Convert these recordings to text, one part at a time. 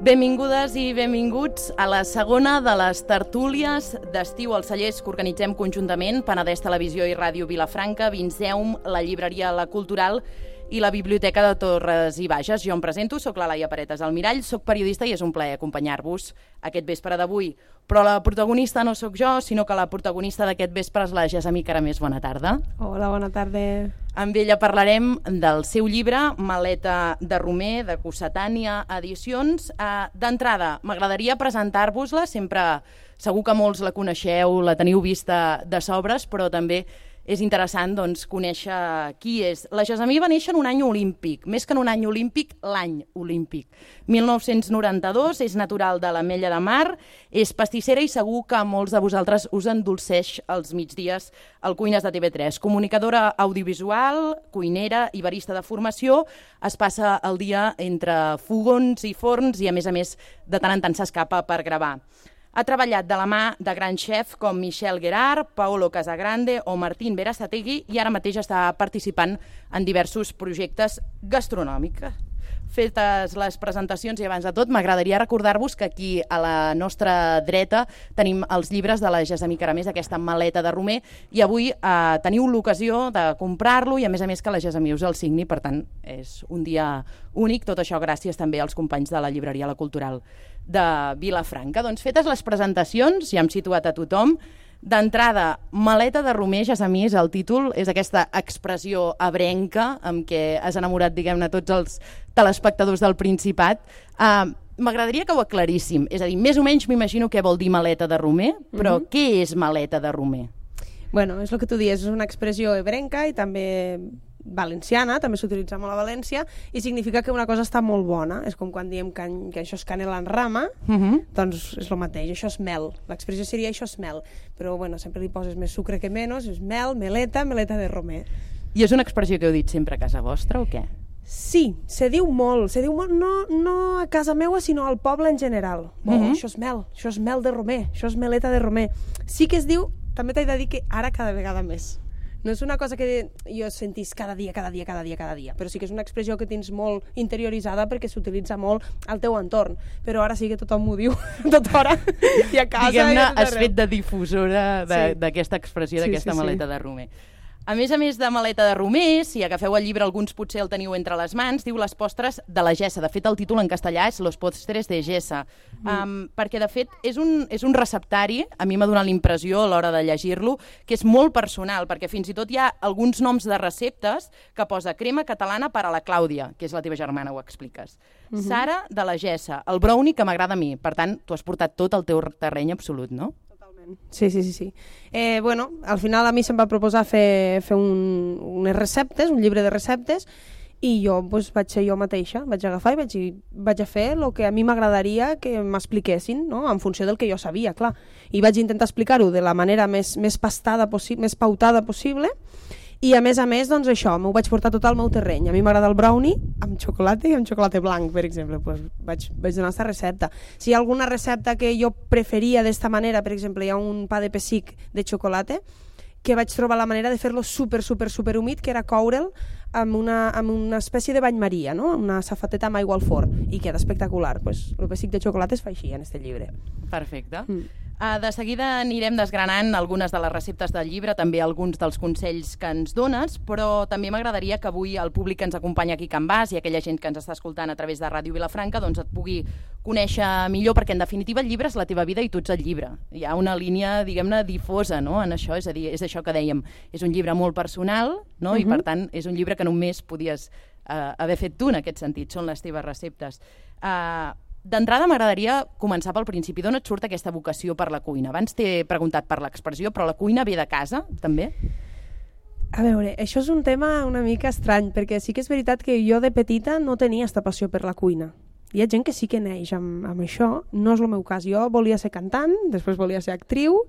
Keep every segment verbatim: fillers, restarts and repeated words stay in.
Benvingudes i benvinguts a la segona de les tertúlies d'estiu als cellers que organitzem conjuntament Penedès Televisió i Ràdio Vilafranca, Vinceum, la llibreria La Cultural i la Biblioteca de Torres i Bages. Jo em presento, soc la Laia Paretes Almirall, soc periodista i és un plaer acompanyar-vos aquest vespre d'avui. Però la protagonista no sóc jo, sinó que la protagonista d'aquest vespre és la Gessamí Caramés. Bona tarda. Hola, bona tarda. Amb ella parlarem del seu llibre, Maleta de Romer, de Cossetània Edicions. Uh, D'entrada, m'agradaria presentar-vos-la. Sempre, segur que molts la coneixeu, la teniu vista de sobres, però també és interessant doncs, conèixer qui és. La Gessamí va néixer en un any olímpic, més que en un any olímpic, l'any olímpic. mil nou-cents noranta-dos, és natural de l'Ametlla de Mar, és pastissera i segur que molts de vosaltres us endolceix els migdies al Cuines de T V tres. Comunicadora audiovisual, cuinera i barista de formació, es passa el dia entre fogons i forns i, a més a més, de tant en tant s'escapa per gravar. Ha treballat de la mà de grans xefs com Michel Guerard, Paolo Casagrande o Martín Berasategui i ara mateix està participant en diversos projectes gastronòmics. Fetes les presentacions i abans de tot m'agradaria recordar-vos que aquí a la nostra dreta tenim els llibres de la Gessamí Caramés, aquesta Maleta de Romer, i avui eh, teniu l'ocasió de comprar-lo i a més a més que la Gessamí us el signi, per tant és un dia únic, tot això gràcies també als companys de la llibreria La Cultural de Vilafranca. Doncs fetes les presentacions, ja hem situat a tothom. D'entrada, Maleta de Romer, Gessamí, és el títol, és aquesta expressió ebrenca amb què has enamorat, diguem-ne, tots els telespectadors del Principat. Uh, M'agradaria que ho aclaríssim, és a dir, més o menys m'imagino què vol dir Maleta de Romer, però mm-hmm. què és Maleta de Romer? Bueno, és el que tu dius, és una expressió ebrenca i també valenciana, també s'utilitza molt a València, i significa que una cosa està molt bona. És com quan diem que, que això és canela en rama, uh-huh. doncs és el mateix, això és mel. L'expressió seria això és mel, però bueno, sempre li poses més sucre que menys, és mel, meleta, meleta de romer. I és una expressió que heu dit sempre a casa vostra o què? Sí, se diu molt, se diu molt, no, no a casa meua, sinó al poble en general. Oh, uh-huh. Això és mel, això és mel de romer, això és meleta de romer. Sí que es diu, també t'he de dir que ara cada vegada més. No és una cosa que jo sentís cada dia, cada dia, cada dia, cada dia, però sí que és una expressió que tens molt interioritzada perquè s'utilitza molt al teu entorn, però ara sí que tothom m'ho diu a tota hora i a casa. Diguem-ne, has fet de difusora d'aquesta sí. expressió, d'aquesta sí, sí, maleta sí. de Romer. A més a més de Maleta de Romer, si agafeu el llibre, alguns potser el teniu entre les mans, diu Les postres de la Gessa. De fet, el títol en castellà és Los postres de Gessa, mm. um, perquè de fet és un, és un receptari, a mi m'ha donat l'impressió a l'hora de llegir-lo, que és molt personal, perquè fins i tot hi ha alguns noms de receptes que posa crema catalana per a la Clàudia, que és la teva germana, ho expliques. Mm-hmm. Sara de la Gessa, el brownie que m'agrada a mi. Per tant, tu has portat tot el teu terreny absolut, no? Sí, sí, sí. sí. Eh, bueno, al final a mi se'm va proposar fer, fer un, unes receptes, un llibre de receptes, i jo pues, vaig ser jo mateixa, vaig agafar i vaig, vaig a fer el que a mi m'agradaria que m'expliquessin, no? En funció del que jo sabia, clar. I vaig intentar explicar-ho de la manera més, més pastada possible, més pautada possible, i a més a més, doncs això, m'ho vaig portar tot al meu terreny. A mi m'agrada el brownie amb xocolata i amb xocolata blanc, per exemple. Pues vaig, vaig donar aquesta recepta. Si hi ha alguna recepta que jo preferia d'esta manera, per exemple, hi ha un pa de pessic de xocolata, que vaig trobar la manera de fer-lo super, super, super humit, que era coure'l amb una, amb una espècie de bany maria, no? Una safateta amb aigua al forn, i queda espectacular. Pues, el pessic de xocolata es fa així en este llibre. Perfecte. Mm. Uh, de seguida anirem desgranant algunes de les receptes del llibre, també alguns dels consells que ens dones, però també m'agradaria que avui el públic que ens acompanya aquí a Can Bas i aquella gent que ens està escoltant a través de Ràdio Vilafranca doncs et pugui conèixer millor, perquè en definitiva el llibre és la teva vida i tu ets el llibre. Hi ha una línia, diguem-ne, difosa, no?, en això, és a dir, és això que dèiem, és un llibre molt personal, no?, uh-huh. i per tant és un llibre que només podies uh, haver fet tu en aquest sentit, són les teves receptes. Uh, D'entrada m'agradaria començar pel principi. D'on et surt aquesta vocació per la cuina? Abans t'he preguntat per l'expressió, però la cuina ve de casa, també? A veure, això és un tema una mica estrany, perquè sí que és veritat que jo de petita no tenia aquesta passió per la cuina. Hi ha gent que sí que neix amb, amb això, no és el meu cas. Jo volia ser cantant, després volia ser actriu,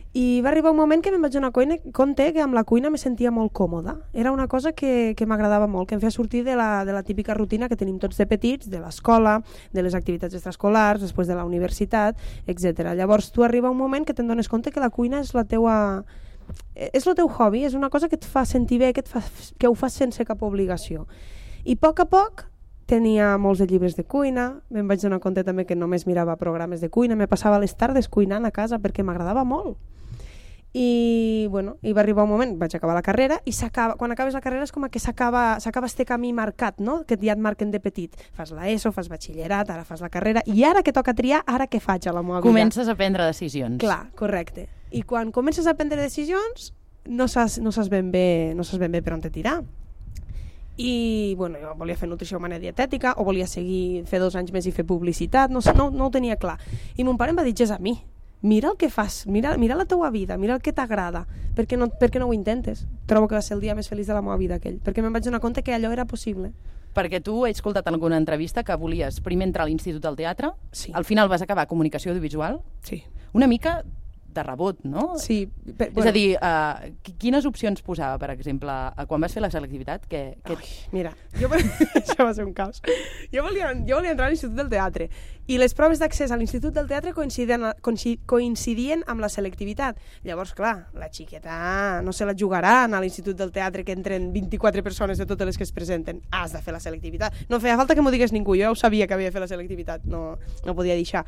i va arribar un moment que me'n vaig donar compte que amb la cuina me sentia molt còmoda. Era una cosa que, que m'agradava molt, que em feia sortir de la, de la típica rutina que tenim tots de petits, de l'escola, de les activitats extraescolars, després de la universitat, etcètera. Llavors tu arriba un moment que te'n dones compte que la cuina és la teua... és el teu hobby, és una cosa que et fa sentir bé, que, et fa, que ho fas sense cap obligació. I a poc a poc tenia molts de llibres de cuina, me'n vaig donar compte també que només mirava programes de cuina, me passava les tardes cuinant a casa perquè m'agradava molt. I, bueno, i va arribar un moment, vaig acabar la carrera, i quan acabes la carrera és com que s'acaba este camí marcat, no? Que ja et marquen de petit. Fas la ESO, fas batxillerat, ara fas la carrera, i ara que toca triar, ara què faig a la meva vida? Comences a prendre decisions. Clar, correcte. I quan comences a prendre decisions, no saps, no saps ben bé, no saps ben bé per on te tirar. I, bueno, jo volia fer nutrició humana i dietètica, o volia seguir, fer dos anys més i fer publicitat, no, no, no ho tenia clar. I mon pare em va dir, és a mi, mira el que fas, mira, mira la teua vida, mira el que t'agrada, per què no, per què no ho intentes? Trobo que va ser el dia més feliç de la meva vida aquell, perquè me'n vaig donar compte que allò era possible. Perquè tu he escoltat en alguna entrevista que volies primer entrar a l'Institut del Teatre, sí. Al final vas acabar comunicació audiovisual, sí. Una mica de rebot, no? Sí. Per, bueno. És a dir, uh, quines opcions posava, per exemple, quan vas fer la selectivitat? Que, que... Ai, mira, jo, això va ser un caos. Jo volia, jo volia entrar a l'Institut del Teatre i les proves d'accés a l'Institut del Teatre coincidien, coincidien amb la selectivitat. Llavors, clar, la xiqueta no se la jugaran a l'Institut del Teatre que entren vint-i-quatre persones de totes les que es presenten. Has de fer la selectivitat. No feia falta que m'ho digués ningú, jo ja ho sabia que havia de fer la selectivitat, no, no podia deixar.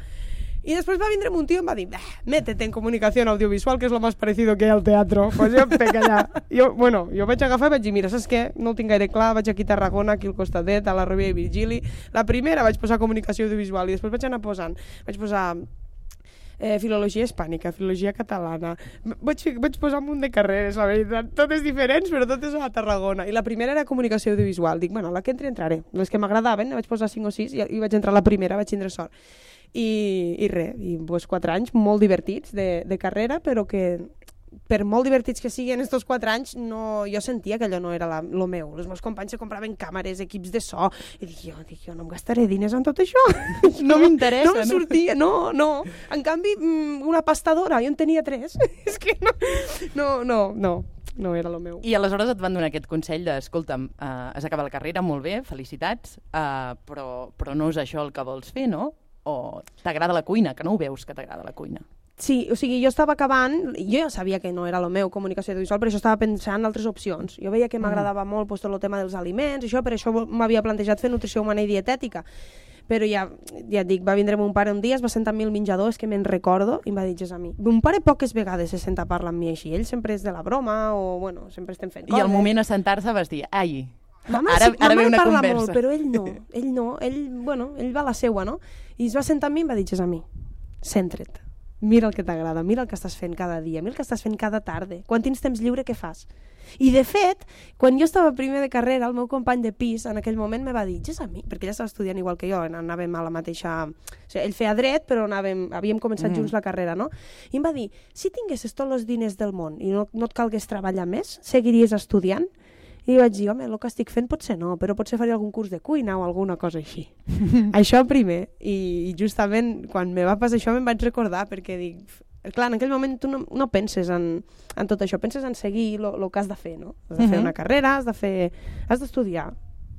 Y después va a vindre un tío y me va a decir, métete en comunicación audiovisual, que es lo más parecido que hay al teatro. Pues jo em pec allà. Jo, bueno, jo vaig agafar i vaig dir, mira, saps què? No ho tinc gaire clar, vaig aquí a Tarragona, aquí al costadet, a la Rovira i Virgili. La primera vaig posar comunicació audiovisual i després vaig anar posant, vaig posar eh, filologia hispànica, filologia catalana. Vaig, vaig posar un munt de carreres, la veritat, totes diferents, però totes a Tarragona. I la primera era comunicació audiovisual. Dic, bueno, la que entri entraré. Les que m'agradaven, vaig posar cinc o sis i, i vaig entrar a la primera, vaig tindre sort. I, i res, i pues, quatre anys molt divertits de, de carrera, però que per molt divertits que siguin estos quatre anys, no, jo sentia que allò no era la, lo meu. Els meus companys se compraven càmeres, equips de so, i dic, jo, dic, jo no em gastaré diners en tot això. No m'interessa. No em sortia, no, no. En canvi, una pastadora, jo en tenia tres. És que no, no, no, no. No era el meu. I aleshores et van donar aquest consell de, escolta'm, uh, has acabat la carrera, molt bé, felicitats, uh, però, però no és això el que vols fer, no? O t'agrada la cuina, que no ho veus que t'agrada la cuina. Sí, o sigui, jo estava acabant, jo ja sabia que no era el meu comunicació audiovisual, però això estava pensant en altres opcions. Jo veia que m'agradava molt pues, tot el tema dels aliments, això, per això m'havia plantejat fer nutrició humana i dietètica. Però ja, ja et dic, va vindre mon pare un dia, es va sentar amb mi al menjador, és que me'n recordo, i em va dir, és a mi. Mon pare poques vegades se senta a parlar amb mi així, ell sempre és de la broma, o bueno, sempre estem fent coses. I al moment a sentar-se vas dir, ai, Mama, ara, sí, ara mama ve una parla conversa. Molt, però ell no, ell no, ell, bueno, ell va a la seua, no? I es va sentar amb mi i em va dir, és a mi, centra't, mira el que t'agrada, mira el que estàs fent cada dia, mira el que estàs fent cada tarda, quan tens temps lliure, què fas? I de fet, quan jo estava primer de carrera, el meu company de pis en aquell moment me va dir, és a mi, perquè ell estava estudiant igual que jo, anàvem a la mateixa... O sigui, ell feia dret, però anàvem, havíem començat mm. junts la carrera, no? I em va dir, si tinguessis tots els diners del món i no, no et calgués treballar més, seguiries estudiant? I vaig dir, home, el que estic fent potser no, però potser faria algun curs de cuina o alguna cosa així. Això primer. I, I justament quan me va passar això me'n vaig recordar, perquè dic... Clar, en aquell moment tu no, no penses en, en tot això, penses en seguir el que has de fer, no? Has de fer uh -huh. una carrera, has de fer... has d'estudiar.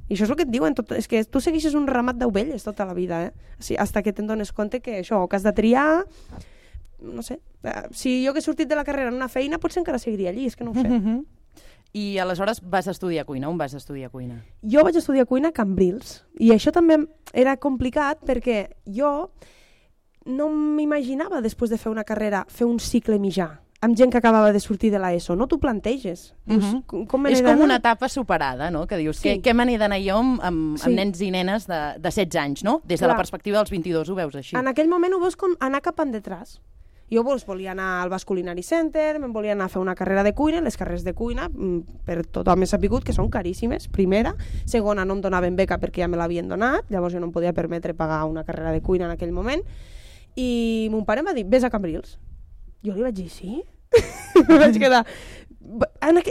I això és el que et diuen, tot, és que tu segueixes un ramat d'ovelles tota la vida, eh? O sigui, hasta que te'n dones compte que això, que has de triar... No sé, si jo hagués sortit de la carrera en una feina, potser encara seguiria allí, és que no ho sé. Uh -huh. I aleshores vas estudiar cuina. On vas estudiar cuina? Jo vaig estudiar cuina a Cambrils. I això també era complicat perquè jo no m'imaginava, després de fer una carrera, fer un cicle mitjà amb gent que acabava de sortir de l'ESO. No t'ho planteges. Uh -huh. com, com És com una etapa superada, no? Que dius, sí. què, què me n'he d'anar jo amb, amb, sí. amb nens i nenes de, de setze anys, no? Des de Clar. La perspectiva dels vint-i-dos ho veus així. En aquell moment ho veus com anar cap endetràs. Jo pues, volia anar al Basque Culinary Center, me'n volia anar a fer una carrera de cuina, les carreres de cuina, per tothom he sapigut que són caríssimes, primera. Segona, no em donaven beca perquè ja me l'havien donat, llavors jo no em podia permetre pagar una carrera de cuina en aquell moment. I mon pare em va dir, vés a Cambrils. Jo li vaig dir, sí? Me vaig quedar...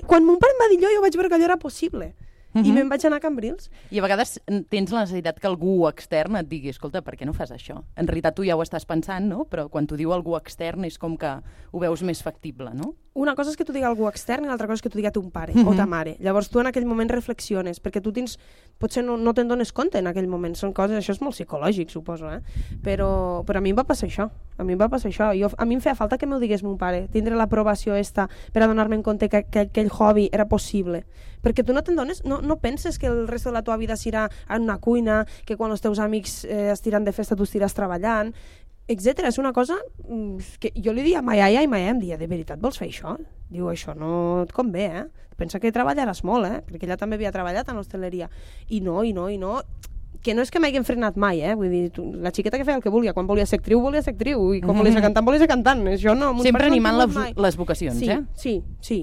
Quan mon pare em va dir allò, jo vaig veure que allò era possible. Uh-huh. I me'n vaig anar a Cambrils. I a vegades tens la necessitat que algú extern et digui, escolta, per què no fas això? En realitat tu ja ho estàs pensant, no? Però quan t'ho diu algú extern és com que ho veus més factible, no? una cosa és que t'ho digui algú extern i l'altra cosa és que t'ho digui ton pare uh-huh. o ta mare. Llavors tu en aquell moment reflexiones, perquè tu tens, potser no, no te'n dones compte en aquell moment, són coses, això és molt psicològic, suposo, eh? Però, però a mi em va passar això, a mi em va passar això. Jo, a mi em feia falta que m'ho digués mon pare, tindre l'aprovació esta per adonar-me en compte que, que aquell hobby era possible. Perquè tu no te'n dones, no, no penses que el resto de la teva vida serà en una cuina, que quan els teus amics eh, estiran de festa tu estiràs treballant, etcètera. És una cosa que jo li dia a ma iaia i ma iaia em dia, de veritat vols fer això? Diu, això no et convé, eh? Pensa que treballaràs molt, eh? Perquè ella també havia treballat en l'hostaleria. I no, i no, i no... Que no és que m'hagin frenat mai, eh? Vull dir, tu, la xiqueta que feia el que volia. Quan volia ser actriu, volia ser actriu. I quan mm-hmm. volia ser cantant, volia ser cantant. Això no... Sempre animant no les, les vocacions, sí, eh? Sí, sí.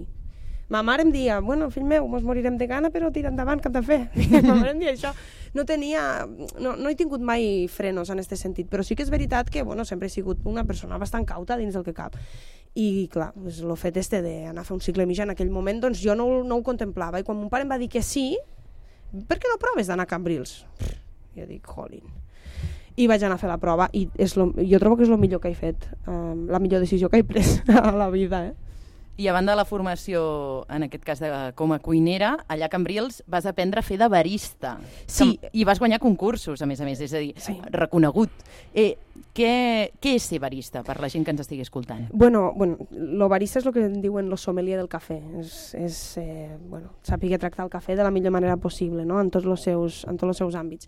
Ma mare em dia, bueno, fill meu, mos morirem de gana, però tira endavant, que hem de fer. Ma mare em dia això. No tenia... No, no he tingut mai frenos en aquest sentit, però sí que és veritat que, bueno, sempre he sigut una persona bastant cauta dins del que cap. I, clar, pues, el fet este d'anar a fer un cicle mitjà en aquell moment, doncs jo no, no ho contemplava. I quan mon pare em va dir que sí, per què no proves d'anar a Cambrils? Jo dic, jolín. I vaig anar a fer la prova i és lo, jo trobo que és el millor que he fet, um, la millor decisió que he pres a la vida, eh? I a banda de la formació, en aquest cas de, com a cuinera, allà a Cambrils vas aprendre a fer de barista. Sí. I vas guanyar concursos, a més a més, és a dir, sí. reconegut. Eh, què, què és ser barista, per la gent que ens estigui escoltant? Bueno, bueno, lo barista és el que en diuen lo sommelier del cafè. És, és eh, bueno, saber tractar el cafè de la millor manera possible, no? en tots els seus, en tots els seus àmbits.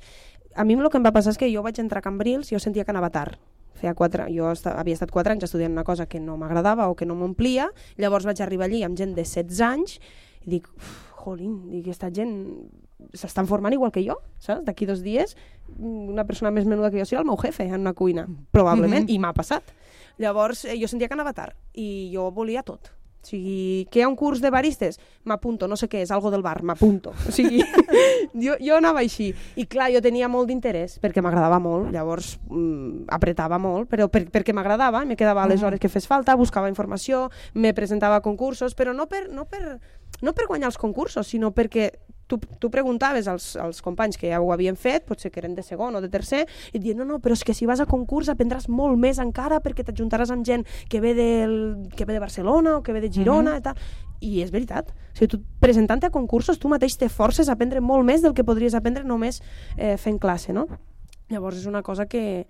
A mi el que em va passar és que jo vaig entrar a Cambrils i jo sentia que anava tard. Feia quatre, jo esta, havia estat quatre anys estudiant una cosa que no m'agradava o que no m'omplia, llavors vaig arribar allí amb gent de setze anys i dic, jolín, dic, aquesta gent s'estan formant igual que jo, saps? D'aquí dos dies una persona més menuda que jo serà el meu jefe en una cuina, probablement, mm-hmm. i m'ha passat. Llavors eh, jo sentia que anava tard i jo volia tot. O sigui, que hi ha un curs de baristes? M'apunto, no sé què és, algo del bar, m'apunto. O sigui, jo, jo anava així. I clar, jo tenia molt d'interès, perquè m'agradava molt, llavors mm, apretava molt, però per, perquè m'agradava, me quedava a les hores que fes falta, buscava informació, me presentava a concursos, però no per, no per, no per guanyar els concursos, sinó perquè tu, tu preguntaves als, als companys que ja ho havien fet, potser que eren de segon o de tercer, i et diuen, no, no, però és que si vas a concurs aprendràs molt més encara perquè t'ajuntaràs amb gent que ve, del, que ve de Barcelona o que ve de Girona, mm-hmm. i tal. I és veritat. O sigui, tu presentant-te a concursos tu mateix te forces a aprendre molt més del que podries aprendre només eh, fent classe, no? Llavors és una cosa que,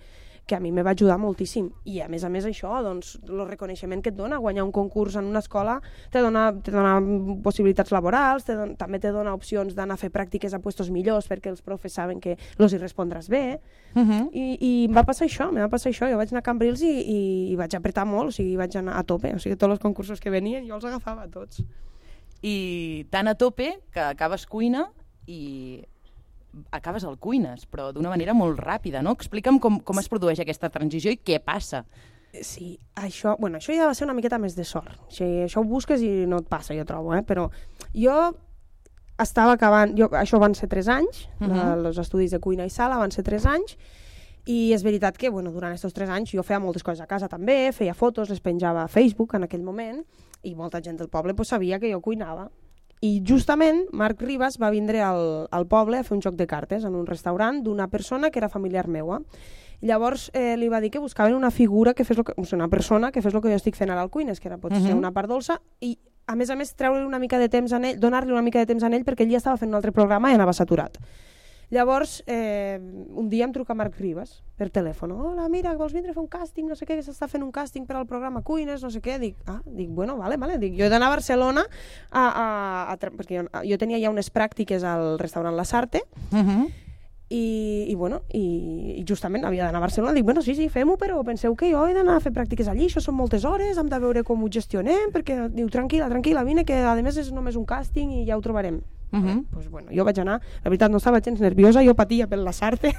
que a mi me va ajudar moltíssim. I a més a més això, doncs, el reconeixement que et dona guanyar un concurs en una escola te dona, te dona possibilitats laborals, te dona, també te dona opcions d'anar a fer pràctiques a puestos millors perquè els profes saben que els hi respondràs bé. Uh-huh. I, i em va passar això, em va passar això. Jo vaig anar a Cambrils i, i, i vaig apretar molt, o sigui, vaig anar a tope. O sigui, tots els concursos que venien jo els agafava tots. I tan a tope que acabes cuina i acabes al cuines, però d'una manera molt ràpida, no? Explica'm com, com es produeix aquesta transició i què passa. Sí, això, bueno, això ja va ser una miqueta més de sort. O sigui, això ho busques i no et passa, jo trobo, eh? Però jo estava acabant, jo, això van ser tres anys, uh-huh. els estudis de cuina i sala van ser tres anys, i és veritat que, bueno, durant aquests tres anys jo feia moltes coses a casa també, feia fotos, les penjava a Facebook en aquell moment, i molta gent del poble pues, sabia que jo cuinava. I justament Marc Ribas va vindre al, al poble a fer un joc de cartes en un restaurant d'una persona que era familiar meua. Llavors eh, li va dir que buscaven una figura que fes lo que, o sigui, una persona que fes el que jo estic fent ara al Cuines, que era potser uh-huh. una part dolça, i a més a més treure una mica de temps a ell, donar-li una mica de temps a ell perquè ell ja estava fent un altre programa i anava saturat. Llavors, eh, un dia em truca Marc Ribas per telèfon. Hola, mira, vols vindre a fer un càsting? No sé què, que s'està fent un càsting per al programa Cuines, no sé què. Dic, ah, dic, bueno, vale, vale. Dic, jo he d'anar a Barcelona a, a, a, a, perquè jo, jo tenia ja unes pràctiques al restaurant La Sarte, uh-huh. i, i, bueno, i, i justament havia d'anar a Barcelona. Dic, bueno, sí, sí, fem-ho, però penseu que jo he d'anar a fer pràctiques allí, això són moltes hores, hem de veure com ho gestionem, perquè diu, tranquil·la, tranquil·la, vine, que a més és només un càsting i ja ho trobarem. Uh-huh. Pues bueno, jo vaig anar, la veritat no estava gens nerviosa, jo patia per la Sarte.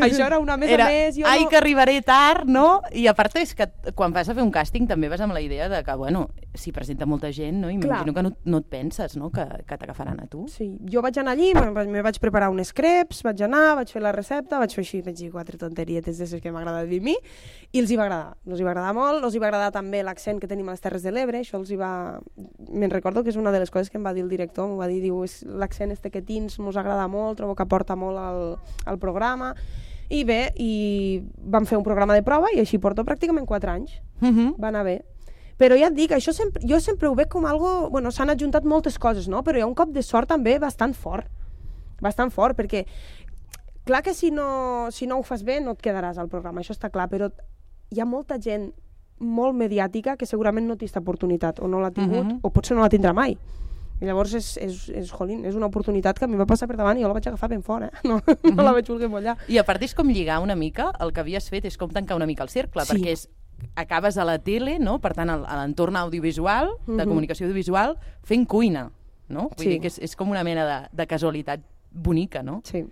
Això era una més era, a més, jo ai, no... que arribaré tard, no? I a part és que quan vas a fer un càsting també vas amb la idea de que, bueno, si presenta molta gent, no? Imagino que no, no et penses, no?, que, que t'agafaran a tu. Sí, jo vaig anar allí, me vaig preparar uns crepes, vaig anar, vaig fer la recepta, vaig fer així, vaig dir quatre tonterietes d'aquestes que m'agrada dir a mi, i els hi va agradar, els hi va agradar molt, els hi va agradar també l'accent que tenim a les Terres de l'Ebre, això els hi va... Me'n recordo que és una de les coses que em va dir el director, em va dir, diu, l'accent este que tins mos agrada molt, trobo que aporta molt al, al programa, i bé, i vam fer un programa de prova i així porto pràcticament quatre anys, uh-huh. va anar bé. Però ja et dic, això sempre, jo sempre ho veig com algo... Bueno, s'han adjuntat moltes coses, no? Però hi ha un cop de sort també bastant fort. Bastant fort, perquè... Clar que si no, si no ho fas bé no et quedaràs al programa, això està clar, però hi ha molta gent molt mediàtica que segurament no té aquesta oportunitat, o no l'ha tingut, uh-huh. o potser no la tindrà mai. I llavors és, és, és, jolín, és una oportunitat que a mi va passar per davant i jo la vaig agafar ben fort, eh? No, uh-huh. no la vaig voler mollar. I a part és com lligar una mica, el que havies fet és com tancar una mica el cercle, sí. perquè és, acabes a la tele, no? Per tant, a l'entorn audiovisual, de uh-huh. comunicació audiovisual, fent cuina, no? Vull sí. dir que és, és com una mena de, de casualitat bonica, no? Sí.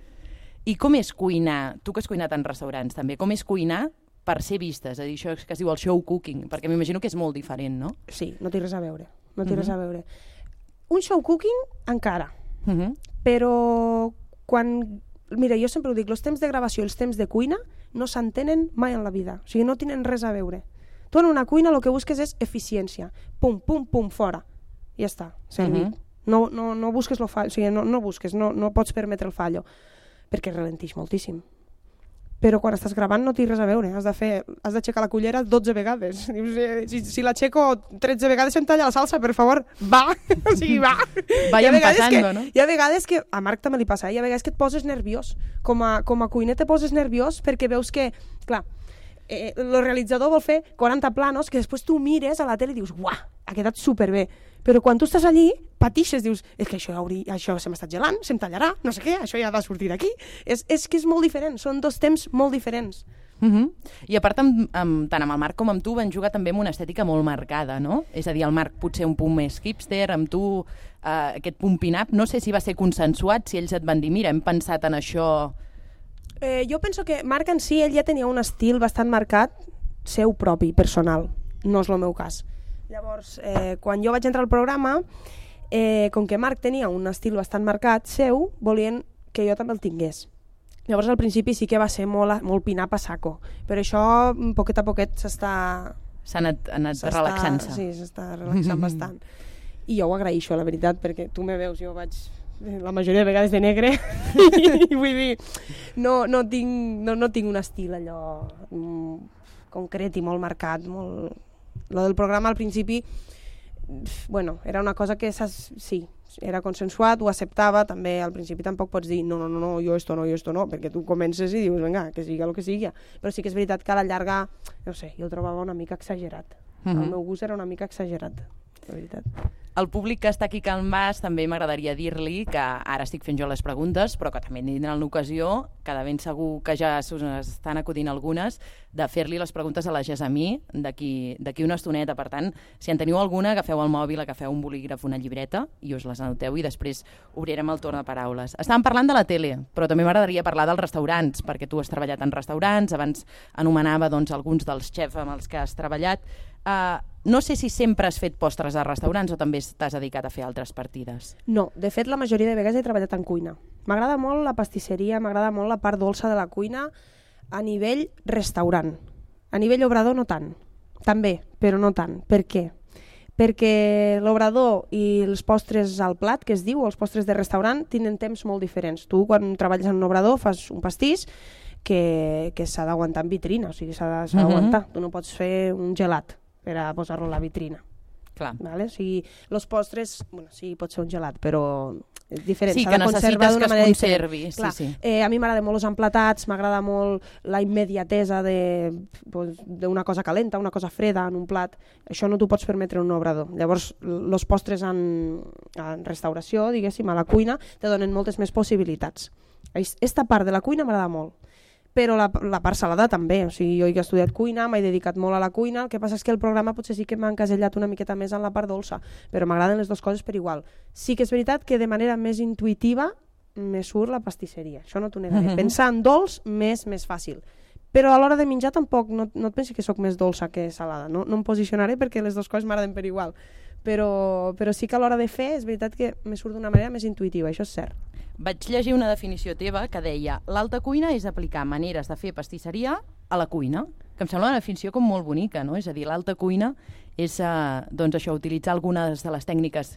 I com és cuinar, tu que has cuinat en restaurants també, com és cuinar per ser vistes? És a dir, això que es diu el show cooking, perquè m'imagino que és molt diferent, no? Sí, no té res a veure, no té uh-huh. res a veure. Un show cooking encara, uh-huh. però quan... Mira, jo sempre ho dic, els temps de gravació i els temps de cuina no s'entenen mai en la vida, o sigui, no tenen res a veure. Tu en una cuina el que busques és eficiència, pum, pum, pum, fora, i ja està, servit. Uh-huh. No, no, no busques el fallo, o sigui, no, no busques, no, no pots permetre el fallo, perquè ralentix moltíssim. Però quan estàs gravant no té res a veure, has de fer, has d'aixecar la cullera dotze vegades. Dius, eh, si, si l'aixeco tretze vegades em talla la salsa, per favor, va, o sigui, va. Vayan passando, que, no? Hi ha vegades que, a Marc també li passa, eh? Hi ha vegades que et poses nerviós, com a, com a cuiner te poses nerviós perquè veus que, clar, eh, el realitzador vol fer quaranta planos que després tu mires a la tele i dius, uah, ha quedat superbé. Però quan tu estàs allí, patixes, dius, és que això, hauri, això se m'està gelant, se'm tallarà, no sé què, això ja ha de sortir d'aquí. És, és que és molt diferent, són dos temps molt diferents. Uh-huh. I a part, amb, amb, tant amb el Marc com amb tu van jugar també amb una estètica molt marcada, no? És a dir, el Marc potser un punt més hipster, amb tu eh, aquest punt pin-up, no sé si va ser consensuat, si ells et van dir, mira, hem pensat en això... Eh, jo penso que Marc en si, ell ja tenia un estil bastant marcat, seu propi, personal, no és el meu cas. Llavors, eh, quan jo vaig entrar al programa, eh, com que Marc tenia un estil bastant marcat seu, volien que jo també el tingués. Llavors, al principi sí que va ser molt, molt pin-up a saco, però això, poquet a poquet, s'està... S'ha anat, anat relaxant-se. Sí, s'està relaxant bastant. I jo ho agraeixo, la veritat, perquè tu me veus, jo vaig la majoria de vegades de negre i vull dir, no, no, tinc, no, no tinc un estil allò mm, concret i molt marcat, molt... Lo del programa al principi, bueno, era una cosa que sí, era consensuat, ho acceptava, també al principi tampoc pots dir no, no, no, no, jo esto no, jo esto no, perquè tu comences i dius, vinga, que sigui el que sigui, però sí que és veritat que a la llarga, no sé, jo el trobava una mica exagerat. Uh-huh. El meu gust era una mica exagerat, la veritat. El públic que està aquí a Can Bas també m'agradaria dir-li que ara estic fent jo les preguntes, però que també tindran l'ocasió, que de ben segur que ja s'us estan acudint algunes, de fer-li les preguntes a la Gessamí d'aquí una estoneta. Per tant, si en teniu alguna, agafeu el mòbil, agafeu un bolígraf, una llibreta i us les anoteu i després obrirem el torn de paraules. Estàvem parlant de la tele, però també m'agradaria parlar dels restaurants, perquè tu has treballat en restaurants, abans anomenava doncs, alguns dels xefs amb els que has treballat. Uh, no sé si sempre has fet postres a restaurants o també t'has dedicat a fer altres partides. No, de fet la majoria de vegades he treballat en cuina. M'agrada molt la pastisseria, m'agrada molt la part dolça de la cuina a nivell restaurant. A nivell obrador no tant, també, però no tant. Per què? Perquè l'obrador i els postres al plat, que es diu, els postres de restaurant, tenen temps molt diferents. Tu quan treballes en un obrador fas un pastís que, que s'ha d'aguantar en vitrina, o sigui, s'ha d'aguantar. Uh-huh. Tu no pots fer un gelat per a posar-lo a la vitrina. Clar. Vale? O sigui, els postres, bueno, sí, pot ser un gelat, però és diferent. Sí, que necessites que es conservi. Sí, Clar, sí. Eh, a mi m'agrada molt els emplatats, m'agrada molt la immediatesa d'una cosa calenta, una cosa freda en un plat. Això no t'ho pots permetre en un obrador. Llavors, els postres en, en restauració, diguéssim, a la cuina, te donen moltes més possibilitats. Aquesta part de la cuina m'agrada molt. Però la, la part salada també, o sigui, jo he estudiat cuina, m'he dedicat molt a la cuina, el que passa és que el programa potser sí que m'ha encasellat una miqueta més en la part dolça, però m'agraden les dues coses per igual. Sí que és veritat que de manera més intuïtiva me surt la pastisseria, això no t'ho negaré. Uh-huh. Pensar en dolç m'és més fàcil, però a l'hora de menjar tampoc, no, no et pensi que sóc més dolça que salada, no, no em posicionaré perquè les dues coses m'agraden per igual, però, però sí que a l'hora de fer és veritat que me surt d'una manera més intuïtiva, això és cert. Vaig llegir una definició teva que deia l'alta cuina és aplicar maneres de fer pastisseria a la cuina, que em sembla una definició com molt bonica, no? És a dir, l'alta cuina és eh, doncs això, utilitzar algunes de les tècniques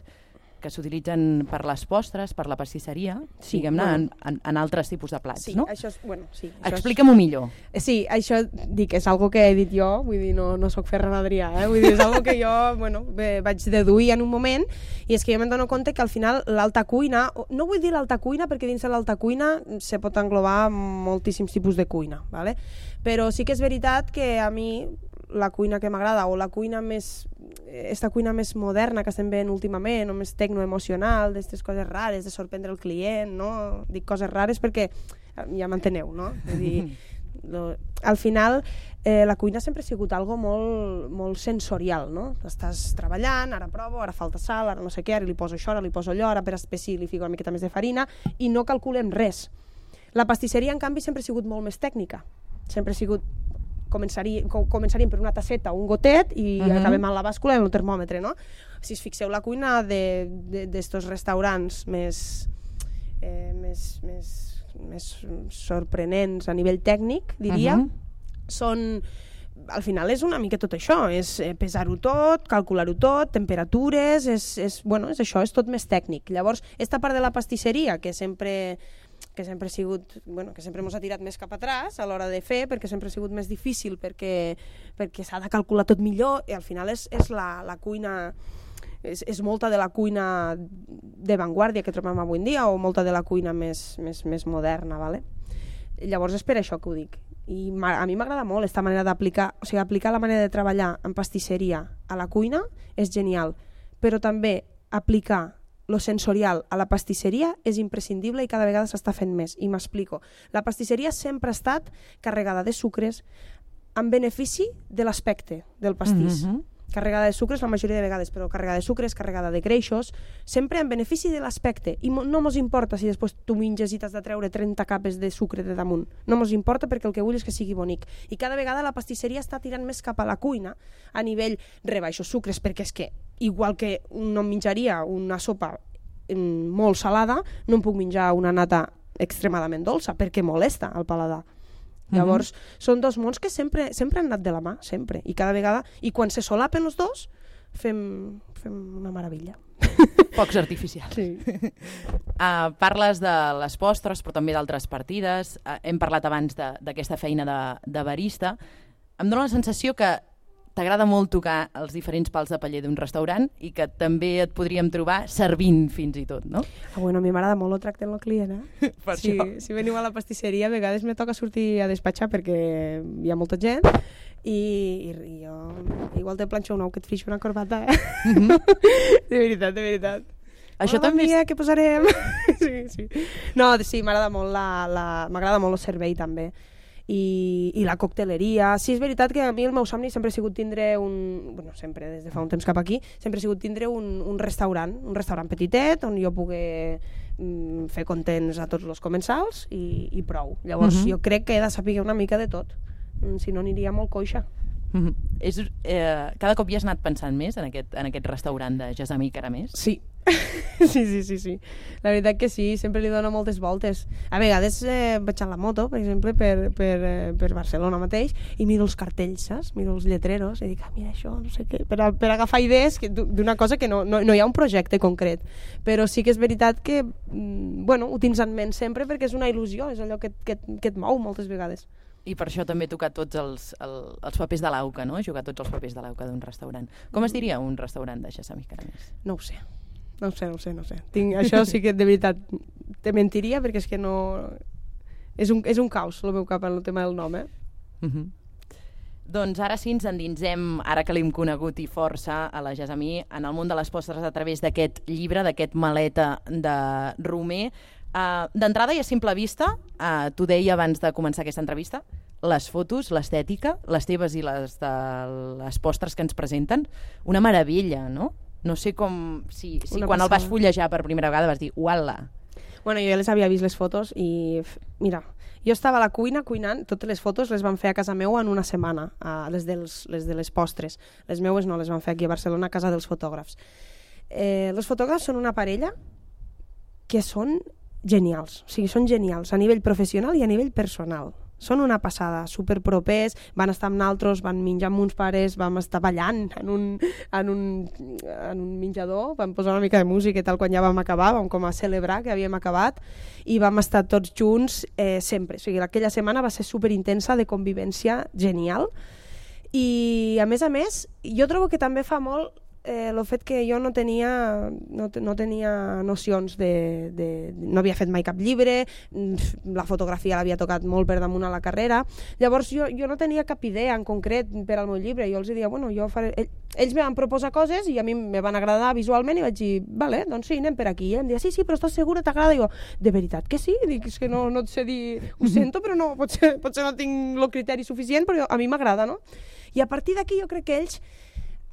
que s'utilitzen per les postres, per la pastisseria, Sí, diguem-ne, bueno. en, en, en altres tipus de plats, Sí, no? això és... Bueno, sí, això és- Explica'm-ho millor. Sí, això dic, és algo que he dit jo, vull dir, no, no sóc Ferran Adrià, eh? Vull dir, és algo que jo, bueno, bé, vaig deduir en un moment, i és que jo me'n dono compte que al final l'alta cuina, no vull dir l'alta cuina perquè dins de l'alta cuina se pot englobar moltíssims tipus de cuina, ¿vale? Però sí que és veritat que a mi la cuina que m'agrada, o la cuina més, esta cuina més moderna que estem veient últimament, o més tecnoemocional, d'aquestes coses rares, de sorprendre el client, no? Dic coses rares perquè ja m'enteneu, no? Vull dir, lo, al final eh, la cuina sempre ha sigut algo molt, molt sensorial, no? Estàs treballant, ara provo, ara falta sal, ara no sé què, ara li poso això, ara li poso allò, ara per espessir li fico una miqueta més de farina, i no calculem res. La pastisseria, en canvi, sempre ha sigut molt més tècnica. Sempre ha sigut... Començaríem, començaríem per una tasseta o un gotet i uh -huh. acabem amb la bàscula i el termòmetre, no? Si us fixeu la cuina d'estos restaurants més, eh, més, més, més sorprenents a nivell tècnic, diria, uh -huh. són... Al final és una mica tot això, és pesar-ho tot, calcular-ho tot, temperatures, és, és, bueno, és això, és tot més tècnic. Llavors, esta part de la pastisseria, que sempre... que sempre ha sigut, bueno, que sempre ens ha tirat més cap atràs a l'hora de fer, perquè sempre ha sigut més difícil, perquè, perquè s'ha de calcular tot millor, i al final és, és la, la cuina, és, és molta de la cuina de vanguardia que trobem avui en dia, o molta de la cuina més, més, més moderna, ¿vale? Llavors és per això que ho dic. I a mi m'agrada molt aquesta manera d'aplicar, o sigui, aplicar la manera de treballar en pastisseria a la cuina és genial, però també aplicar lo sensorial a la pastisseria és imprescindible i cada vegada s'està fent més, i m'explico. La pastisseria sempre ha estat carregada de sucres en benefici de l'aspecte del pastís. Mm-hmm. Carregada de sucres la majoria de vegades, però carregada de sucres, carregada de greixos, sempre en benefici de l'aspecte, i no mos importa si després tu menges i t'has de treure trenta capes de sucre de damunt, no mos importa perquè el que vull és que sigui bonic, i cada vegada la pastisseria està tirant més cap a la cuina a nivell rebaixos sucres, perquè és que igual que no em menjaria una sopa molt salada, no em puc menjar una nata extremadament dolça, perquè molesta al paladar. Llavors, mm-hmm. són dos mons que sempre, sempre han anat de la mà, sempre, i cada vegada, i quan se solapen els dos, fem, fem una meravella. Focs artificials. Sí. Uh, parles de les postres, però també d'altres partides. Uh, hem parlat abans d'aquesta feina de, de barista. Em dóna la sensació que t'agrada molt tocar els diferents pals de paller d'un restaurant i que també et podríem trobar servint fins i tot, no? Ah, bueno, a mi m'agrada molt el tracte amb el client, eh? Per si, això. Si veniu a la pastisseria, a vegades me toca sortir a despatxar perquè hi ha molta gent i, i, i jo igual te planxo un ou que et frixo una corbata, eh? Mm-hmm. De veritat, de veritat. Això oh, també mia, és... què posarem? Sí, sí. No, sí, m'agrada molt la, la, m'agrada molt el servei també. I, i la cocteleria. Sí, és veritat que a mi el meu somni sempre ha sigut tindre un... Bueno, sempre, des de fa un temps cap aquí, sempre ha sigut tindre un, un restaurant, un restaurant petitet, on jo pugui mm, fer contents a tots els comensals i, i prou. Llavors, uh-huh. jo crec que he de saber una mica de tot, si no aniria molt coixa. Uh-huh. És, eh, cada cop hi has anat pensant més en aquest, en aquest restaurant de Gessamí Caramés? Sí. sí, sí, sí, sí. La veritat que sí, sempre li dono moltes voltes. A vegades eh, vaig a la moto, per exemple, per, per, eh, per Barcelona mateix, i miro els cartells, saps? Miro els lletreros i dic, ah, mira això, no sé què, per, a, per agafar idees d'una cosa que no, no, no hi ha un projecte concret. Però sí que és veritat que, mm, bueno, ho tens en ment sempre perquè és una il·lusió, és allò que, que, que et mou moltes vegades. I per això també he tocat tots els, el, els papers de l'auca, no? He jugat tots els papers de l'auca d'un restaurant. Com es diria un restaurant de Gessamí Caramés? No ho sé. No ho sé, no ho sé, no ho sé. Tinc, això sí que de veritat te mentiria perquè és que no... És un, és un caos el meu cap en el tema del nom, eh? Uh-huh. Doncs ara sí ens endinsem, ara que l'hem conegut i força a la Gessamí, en el món de les postres a través d'aquest llibre, d'aquest maleta de Romer. Uh, D'entrada i a simple vista, uh, t'ho deia abans de començar aquesta entrevista, les fotos, l'estètica, les teves i les de les postres que ens presenten, una meravella, no? No sé com... Si, si quan passada. El vas fullejar per primera vegada vas dir, uala. Bueno, jo ja les havia vist les fotos i, mira, jo estava a la cuina cuinant, totes les fotos les van fer a casa meu en una setmana, uh, les, dels, les de les postres. Les meues no, les van fer aquí a Barcelona a casa dels fotògrafs. Eh, els fotògrafs són una parella que són genials, o sigui, són genials a nivell professional i a nivell personal. són una passada, superpropers, van estar amb naltros, van menjar amb uns pares, vam estar ballant en un, en un, en un menjador, vam posar una mica de música i tal quan ja vam acabar, vam com a celebrar que havíem acabat i vam estar tots junts eh, sempre. O sigui, aquella setmana va ser superintensa de convivència genial i a més a més jo trobo que també fa molt eh, el fet que jo no tenia, no, no tenia nocions de, de, de... no havia fet mai cap llibre, la fotografia l'havia tocat molt per damunt a la carrera, llavors jo, jo no tenia cap idea en concret per al meu llibre, jo els dia, bueno, jo faré... ells me van proposar coses i a mi me van agradar visualment i vaig dir, vale, doncs sí, anem per aquí. I em deia, sí, sí, però estàs segura, t'agrada? I jo, de veritat que sí? Dic, és que no, no et sé dir, ho sento, però no, potser, potser no tinc el criteri suficient, però jo, a mi m'agrada, no? I a partir d'aquí jo crec que ells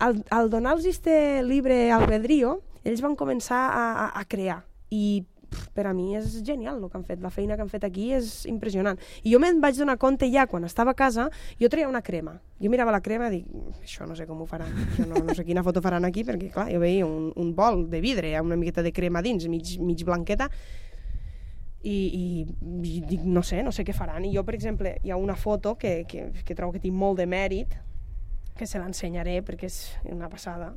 Al, al donar-los este llibre albedrío, ells van començar a, a, a crear i pff, per a mi és genial el que han fet, la feina que han fet aquí és impressionant. I jo me'n vaig donar compte ja quan estava a casa, jo traia una crema. Jo mirava la crema i dic, això no sé com ho faran, això no, no sé quina foto faran aquí, perquè clar, jo veia un, un bol de vidre amb una miqueta de crema dins, mig, mig blanqueta, I, i, i dic, no sé, no sé què faran. I jo, per exemple, hi ha una foto que, que, que trobo que té molt de mèrit, que se l'ensenyaré perquè és una passada,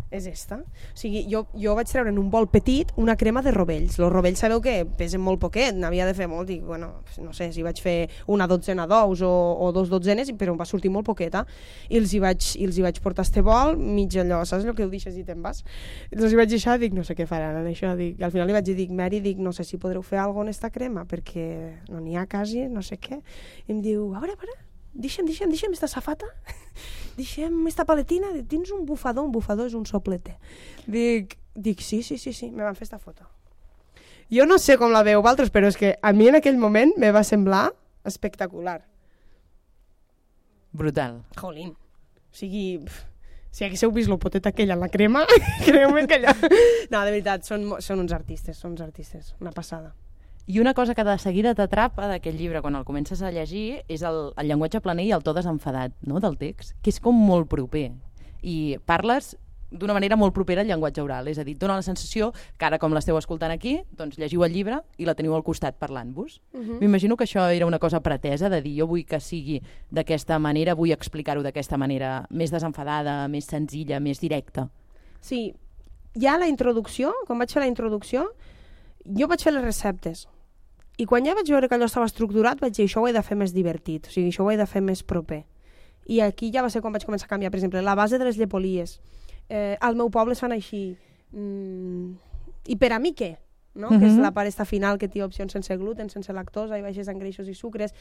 és esta. O sigui, jo, jo vaig treure en un bol petit una crema de rovells. Els rovells sabeu que pesen molt poquet, n'havia de fer molt, dic, bueno, no sé, si vaig fer una dotzena d'ous o, o dos dotzenes, però em va sortir molt poqueta, i els hi vaig, i els hi vaig portar este bol, mig allò, saps el que ho deixes i te'n vas? Els hi vaig deixar, dic, no sé què faran en això, dic, al final li vaig dir, dic, Mary, dic, no sé si podreu fer alguna cosa en esta crema, perquè no n'hi ha quasi, no sé què. I em diu, a veure, a veure, deixa'm, deixa'm, deixa'm esta safata, deixa'm esta paletina, tens un bufador, un bufador és un soplete. Dic, dic sí, sí, sí, sí, me van fer esta foto. Jo no sé com la veu vosaltres, però és que a mi en aquell moment me va semblar espectacular. Brutal. Jolín. O sigui, pff, si haguéssiu vist el potet aquell en la crema, creu-me que allò... No, de veritat, són, són uns artistes, són uns artistes, una passada. I una cosa que de seguida t'atrapa d'aquest llibre quan el comences a llegir és el, el llenguatge planer i el to desenfadat, no?, del text, que és com molt proper. I parles d'una manera molt propera al llenguatge oral, és a dir, dona la sensació que ara, com l'esteu escoltant aquí, doncs llegiu el llibre i la teniu al costat parlant-vos. Uh-huh. M'imagino que això era una cosa pretesa, de dir, jo vull que sigui d'aquesta manera, vull explicar-ho d'aquesta manera més desenfadada, més senzilla, més directa. Sí, ja la introducció, quan vaig fer la introducció, jo vaig fer les receptes. I quan ja vaig veure que allò estava estructurat, vaig dir, això ho he de fer més divertit, o sigui, això ho he de fer més proper. I aquí ja va ser quan vaig començar a canviar, per exemple, la base de les llepolies. Eh, al meu poble es fan així. Mm, I per a mi què? No? Uh-huh. Que és la part esta final que té opcions sense gluten, sense lactosa i baixes en greixos i sucres.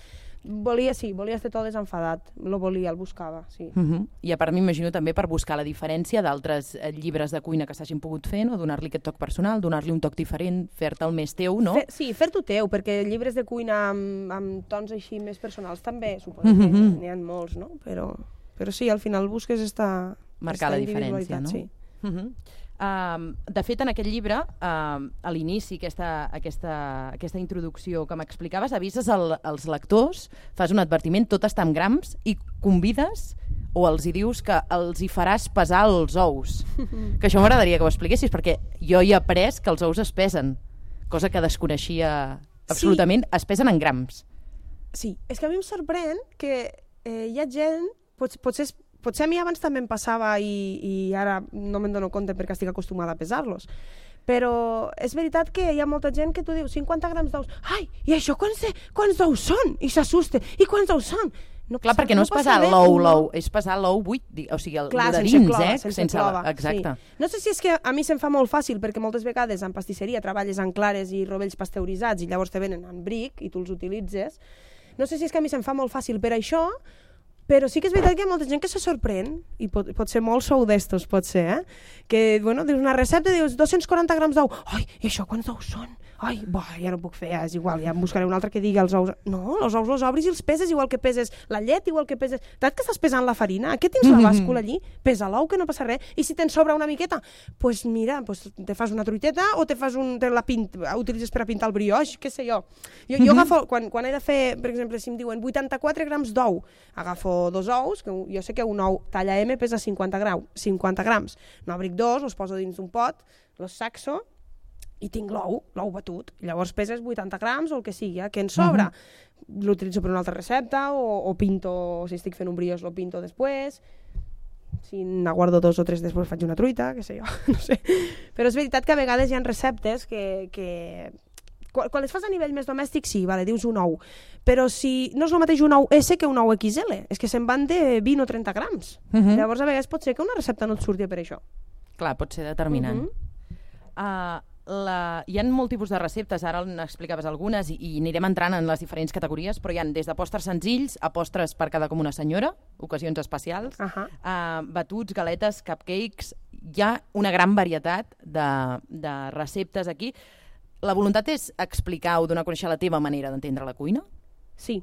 Volia, sí, volia estar tot desenfadat. Lo volia, el buscava, sí. Uh-huh. I a part m'imagino també per buscar la diferència d'altres eh, llibres de cuina que s'hagin pogut fer, no? Donar-li aquest toc personal, donar-li un toc diferent, fer-te'l més teu, no? Fer, sí, fer-t'ho teu, perquè llibres de cuina amb, amb tons així més personals també, suposo uh-huh. que n'hi ha molts, no? Però, però sí, al final busques esta, marcar esta la diferència, no? Sí. Uh-huh. Uh, de fet, en aquest llibre, uh, a l'inici, aquesta, aquesta, aquesta introducció que m'explicaves, avises el, els lectors, fas un advertiment, tot està en grams, i convides o els hi dius que els hi faràs pesar els ous. Que això m'agradaria que ho expliquessis, perquè jo hi he après que els ous es pesen, cosa que desconeixia absolutament, sí. Es pesen en grams. Sí, és que a mi em sorprèn que eh, hi ha gent, pot, potser és Potser a mi abans també em passava i, i ara no me'n dono compte perquè estic acostumada a pesar-los. Però és veritat que hi ha molta gent que tu dius cinquanta grams d'ous. Ai, i això quants, quants d'ous són? I s'assusta. I quants d'ous són? No, clar, perquè no, no és pesar l'ou, l'ou, és pesar l'ou buit, o sigui, el clar, de sense dins, clova, eh? Sense, sense clova, exacte. Sí. No sé si és que a mi se'm fa molt fàcil, perquè moltes vegades en pastisseria treballes en clares i rovells pasteuritzats i llavors te venen en bric i tu els utilitzes. No sé si és que a mi se'm fa molt fàcil per això, però sí que és veritat que hi ha molta gent que se sorprèn, i pot, pot ser molt sou d'estos, pot ser, eh? Que, bueno, dius una recepta i dius dos-cents quaranta grams d'ou. Ai, i això quants ous són? Ai, bo, ja no puc fer, ja és igual, ja em buscaré un altre que digui els ous. No, els ous els obris i els peses igual que peses la llet, igual que peses... Tant que estàs pesant la farina, què tens la bàscula allí? Pesa l'ou, que no passa res. I si te'n sobra una miqueta, doncs pues mira, pues te fas una truiteta o te fas un... Te la pint, utilitzes per a pintar el brioix, què sé jo. Jo, jo agafo, quan, quan he de fer, per exemple, si em diuen vuitanta-quatre grams d'ou, agafo dos ous, que jo sé que un ou talla M pesa cinquanta grams, no abric dos, els poso dins d'un pot, los saxo, i tinc l'ou, l'ou batut. Llavors peses vuitanta grams o el que sigui, eh, que en sobra. Uh-huh. L'utilitzo per una altra recepta o, o pinto, si estic fent un brioix, lo pinto després. Si n'aguardo dos o tres després faig una truita, què sé jo, no sé. Però és veritat que a vegades hi ha receptes que... que... Quan, quan les fas a nivell més domèstic, sí, vale, dius un ou. Però si no és el mateix un ou S que un ou X L, és que se'n van de vint o trenta grams. Uh-huh. Llavors, a vegades pot ser que una recepta no et surti per això. Clar, pot ser determinant. Uh-huh. uh, la... Hi ha molt tipus de receptes, ara n'explicaves algunes i, i anirem entrant en les diferents categories, però hi ha des de postres senzills a postres per quedar com una senyora, ocasions especials, uh-huh. uh, batuts, galetes, cupcakes... Hi ha una gran varietat de, de receptes aquí. La voluntat és explicar o donar a conèixer la teva manera d'entendre la cuina? Sí,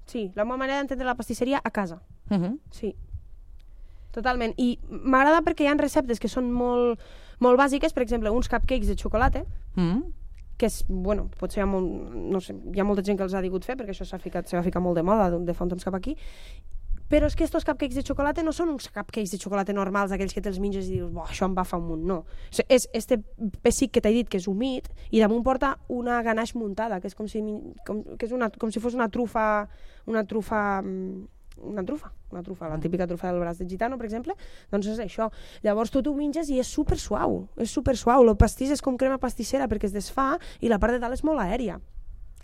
sí, la meva manera d'entendre la pastisseria a casa. Uh-huh. Sí, totalment. I m'agrada perquè hi ha receptes que són molt, molt bàsiques, per exemple, uns cupcakes de xocolata, uh-huh. que és, bueno, potser hi ha, molt, no sé, hi ha molta gent que els ha digut fer, perquè això s'ha ficat, s'ha ficat molt de moda de fa un temps cap aquí, però és que estos cupcakes de xocolata no són uns cupcakes de xocolata normals, aquells que te'ls menges i dius, bo, això em va fa un munt, no. És este pessic que t'he dit, que és humit, i damunt porta una ganache muntada, que és com si, com, que és una, com si fos una trufa, una trufa, una trufa, una trufa, la típica trufa del braç de gitano, per exemple, doncs és això. Llavors tu t'ho menges i és super suau, és super suau. El pastís és com crema pastissera perquè es desfà i la part de dalt és molt aèria.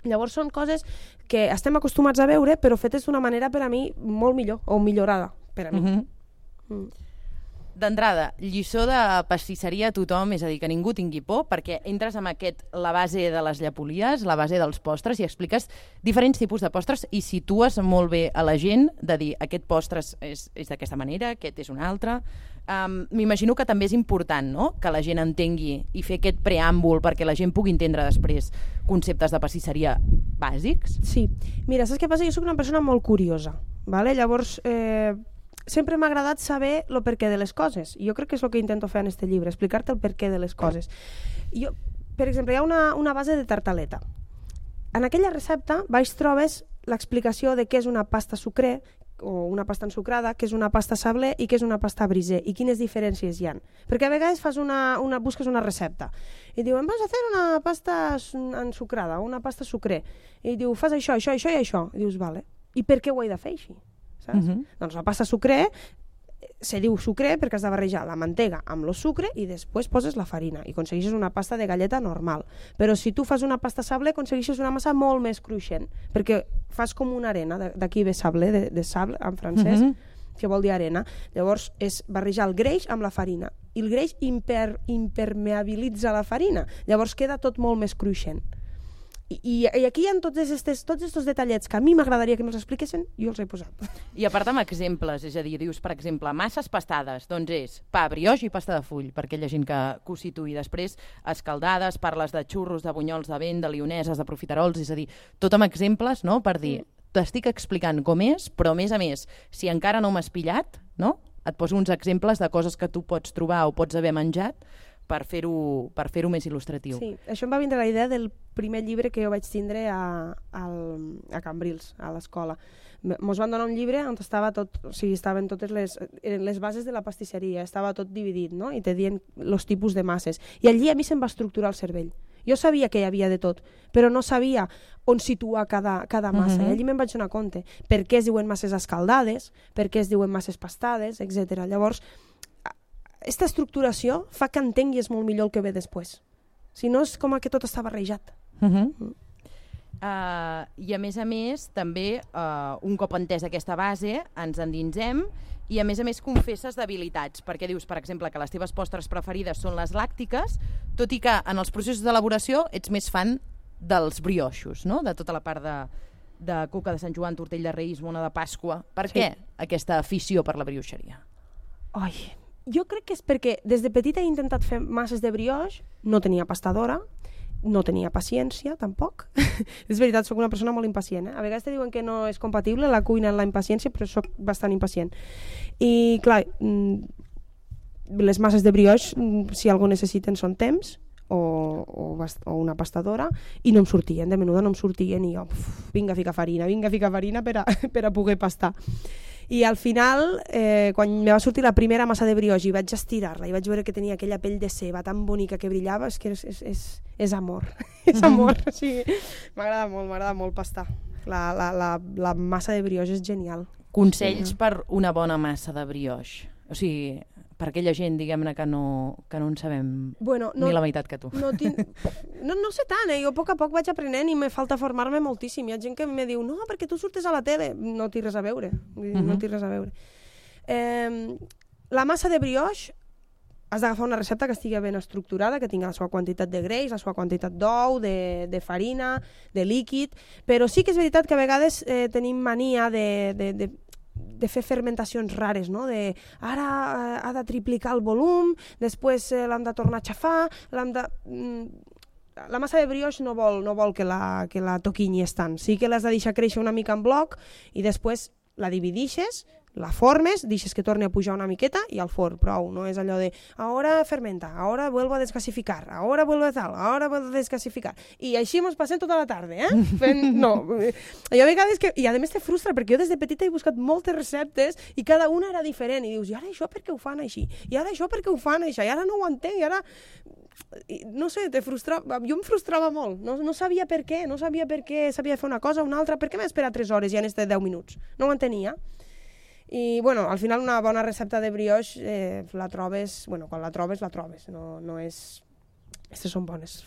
Llavors són coses que estem acostumats a veure, però fetes d'una manera per a mi molt millor, o millorada per a mi. Uh-huh. Mm. D'entrada, lliçó de pastisseria a tothom, és a dir, que ningú tingui por, perquè entres amb aquest, la base de les llepolies, la base dels postres, i expliques diferents tipus de postres i situes molt bé a la gent de dir aquest postres és, és d'aquesta manera, aquest és un altre. Um, M'imagino que també és important, no?, que la gent entengui i fer aquest preàmbul perquè la gent pugui entendre després conceptes de pastisseria bàsics. Sí. Mira, saps què passa? Jo soc una persona molt curiosa, ¿vale? Llavors... Eh... sempre m'ha agradat saber el perquè de les coses. Jo crec que és el que intento fer en este llibre, explicar-te el perquè de les coses. Jo, per exemple, hi ha una, una base de tartaleta. En aquella recepta baix trobes l'explicació de què és una pasta sucre o una pasta ensucrada, què és una pasta sablé i què és una pasta brisé i quines diferències hi ha. Perquè a vegades fas una, una, busques una recepta i diuen, vas a fer una pasta ensucrada o una pasta sucre. I diu, fas això, això, això i això. I dius, vale. I per què ho he de fer així? Uh-huh. Doncs la pasta sucre se diu sucre perquè has de barrejar la mantega amb el sucre i després poses la farina i aconsegueixes una pasta de galleta normal. Però si tu fas una pasta sable aconsegueixes una massa molt més cruixent perquè fas com una arena, d'aquí ve sable, de, de sable en francès, uh-huh. que vol dir arena. Llavors és barrejar el greix amb la farina i el greix imper, impermeabilitza la farina, llavors queda tot molt més cruixent. I, i aquí hi ha tots estos, tots estos detallets que a mi m'agradaria que me'ls expliquessin, jo els he posat. I a part amb exemples, és a dir, dius, per exemple, masses pastades, doncs és pa, brioix i pasta de full, per aquella gent que, que ho situï. Després, escaldades, parles de xurros, de bunyols de vent, de lioneses, de profiterols, és a dir, tot amb exemples, no?, per dir, t'estic explicant com és, però a més a més, si encara no m'has pillat, no?, et poso uns exemples de coses que tu pots trobar o pots haver menjat, per fer-ho per fer-ho més il·lustratiu. Sí, això em va vindre la idea del primer llibre que jo vaig tindre a, a, a Cambrils, a l'escola. Mos van donar un llibre on estava tot, o sigui, estaven totes les, les bases de la pastisseria, estava tot dividit, no?, i te dient els tipus de masses. I allí a mi se'm va estructurar el cervell. Jo sabia que hi havia de tot, però no sabia on situar cada, cada massa. Uh-huh. I allí me'n vaig donar compte. Per què es diuen masses escaldades, per què es diuen masses pastades, etcètera. Llavors, aquesta estructuració fa que entenguis molt millor el que ve després. Si no, és com que tot està barrejat. Uh-huh. Mm. Uh, I a més a més, també, uh, un cop entès aquesta base, ens endinsem i a més a més confesses debilitats, perquè dius, per exemple, que les teves postres preferides són les làctiques, tot i que en els processos d'elaboració ets més fan dels brioixos, no?, de tota la part de, de coca de Sant Joan, tortell de Reis, mona de Pasqua. Per sí. Què aquesta afició per la brioixeria? Ai... Jo crec que és perquè des de petita he intentat fer masses de brioix, no tenia pastadora, no tenia paciència, tampoc. És veritat, sóc una persona molt impacient. Eh? A vegades te diuen que no és compatible la cuina amb la impaciència, però sóc bastant impacient. I, clar, les masses de brioix, si algú necessiten, són temps, o, o, o una pastadora, i no em sortien, de menuda no em sortien, i jo, uf, vinga a ficar farina, vinga a ficar farina per a, per a poder pastar. I al final, eh, quan me va sortir la primera massa de brioche i vaig estirar-la i vaig veure que tenia aquella pell de ceba tan bonica que brillava, és que és, és, és, és amor, és amor. O sigui, m'agrada molt, m'agrada molt pastar. La, la, la, la massa de brioche és genial. Consells sí. per una bona massa de brioche? O sigui, per aquella gent, diguem-ne, que no, que no en sabem bueno, no, ni la meitat que tu. No, tinc... no, no sé tant, eh? Jo a poc a poc vaig aprenent i me falta formar-me moltíssim. Hi ha gent que me diu, no, perquè tu surtes a la tele. No té res a veure. Uh-huh. No té res a veure. Eh, la massa de brioche has d'agafar una recepta que estigui ben estructurada, que tingui la seva quantitat de greix, la seva quantitat d'ou, de, de farina, de líquid, però sí que és veritat que a vegades eh, tenim mania de... de, de de fer fermentacions rares, no? De, ara eh, ha de triplicar el volum, després eh, l'hem de tornar a xafar, l'hem de... Mm, la massa de brioche no vol, no vol que la, que la toquinyis tant. Sí que l'has de deixar créixer una mica en bloc i després la dividixes, la formes, deixes que torni a pujar una miqueta i al forn, prou. No és allò de ahora fermenta, ahora vuelvo a desgasificar, ahora vuelvo a tal, ahora vuelvo a desgasificar. I així mos passem tota la tarda, eh? Fent... No. Hi ha vegades que... I a més te frustra, perquè jo des de petita he buscat moltes receptes i cada una era diferent. I dius, i ara això per què ho fan així? I ara això per què ho fan així? I ara no ho entenc, i ara... I, no sé, te frustrava... Jo em frustrava molt. No, no sabia per què, no sabia per què sabia fer una cosa o una altra. Per què m'he esperat tres hores i han estat deu minuts? No ho entenia. I, bueno, al final una bona recepta de brioche eh, la trobes, bueno, quan la trobes, la trobes, no, no és... Aquestes són bones.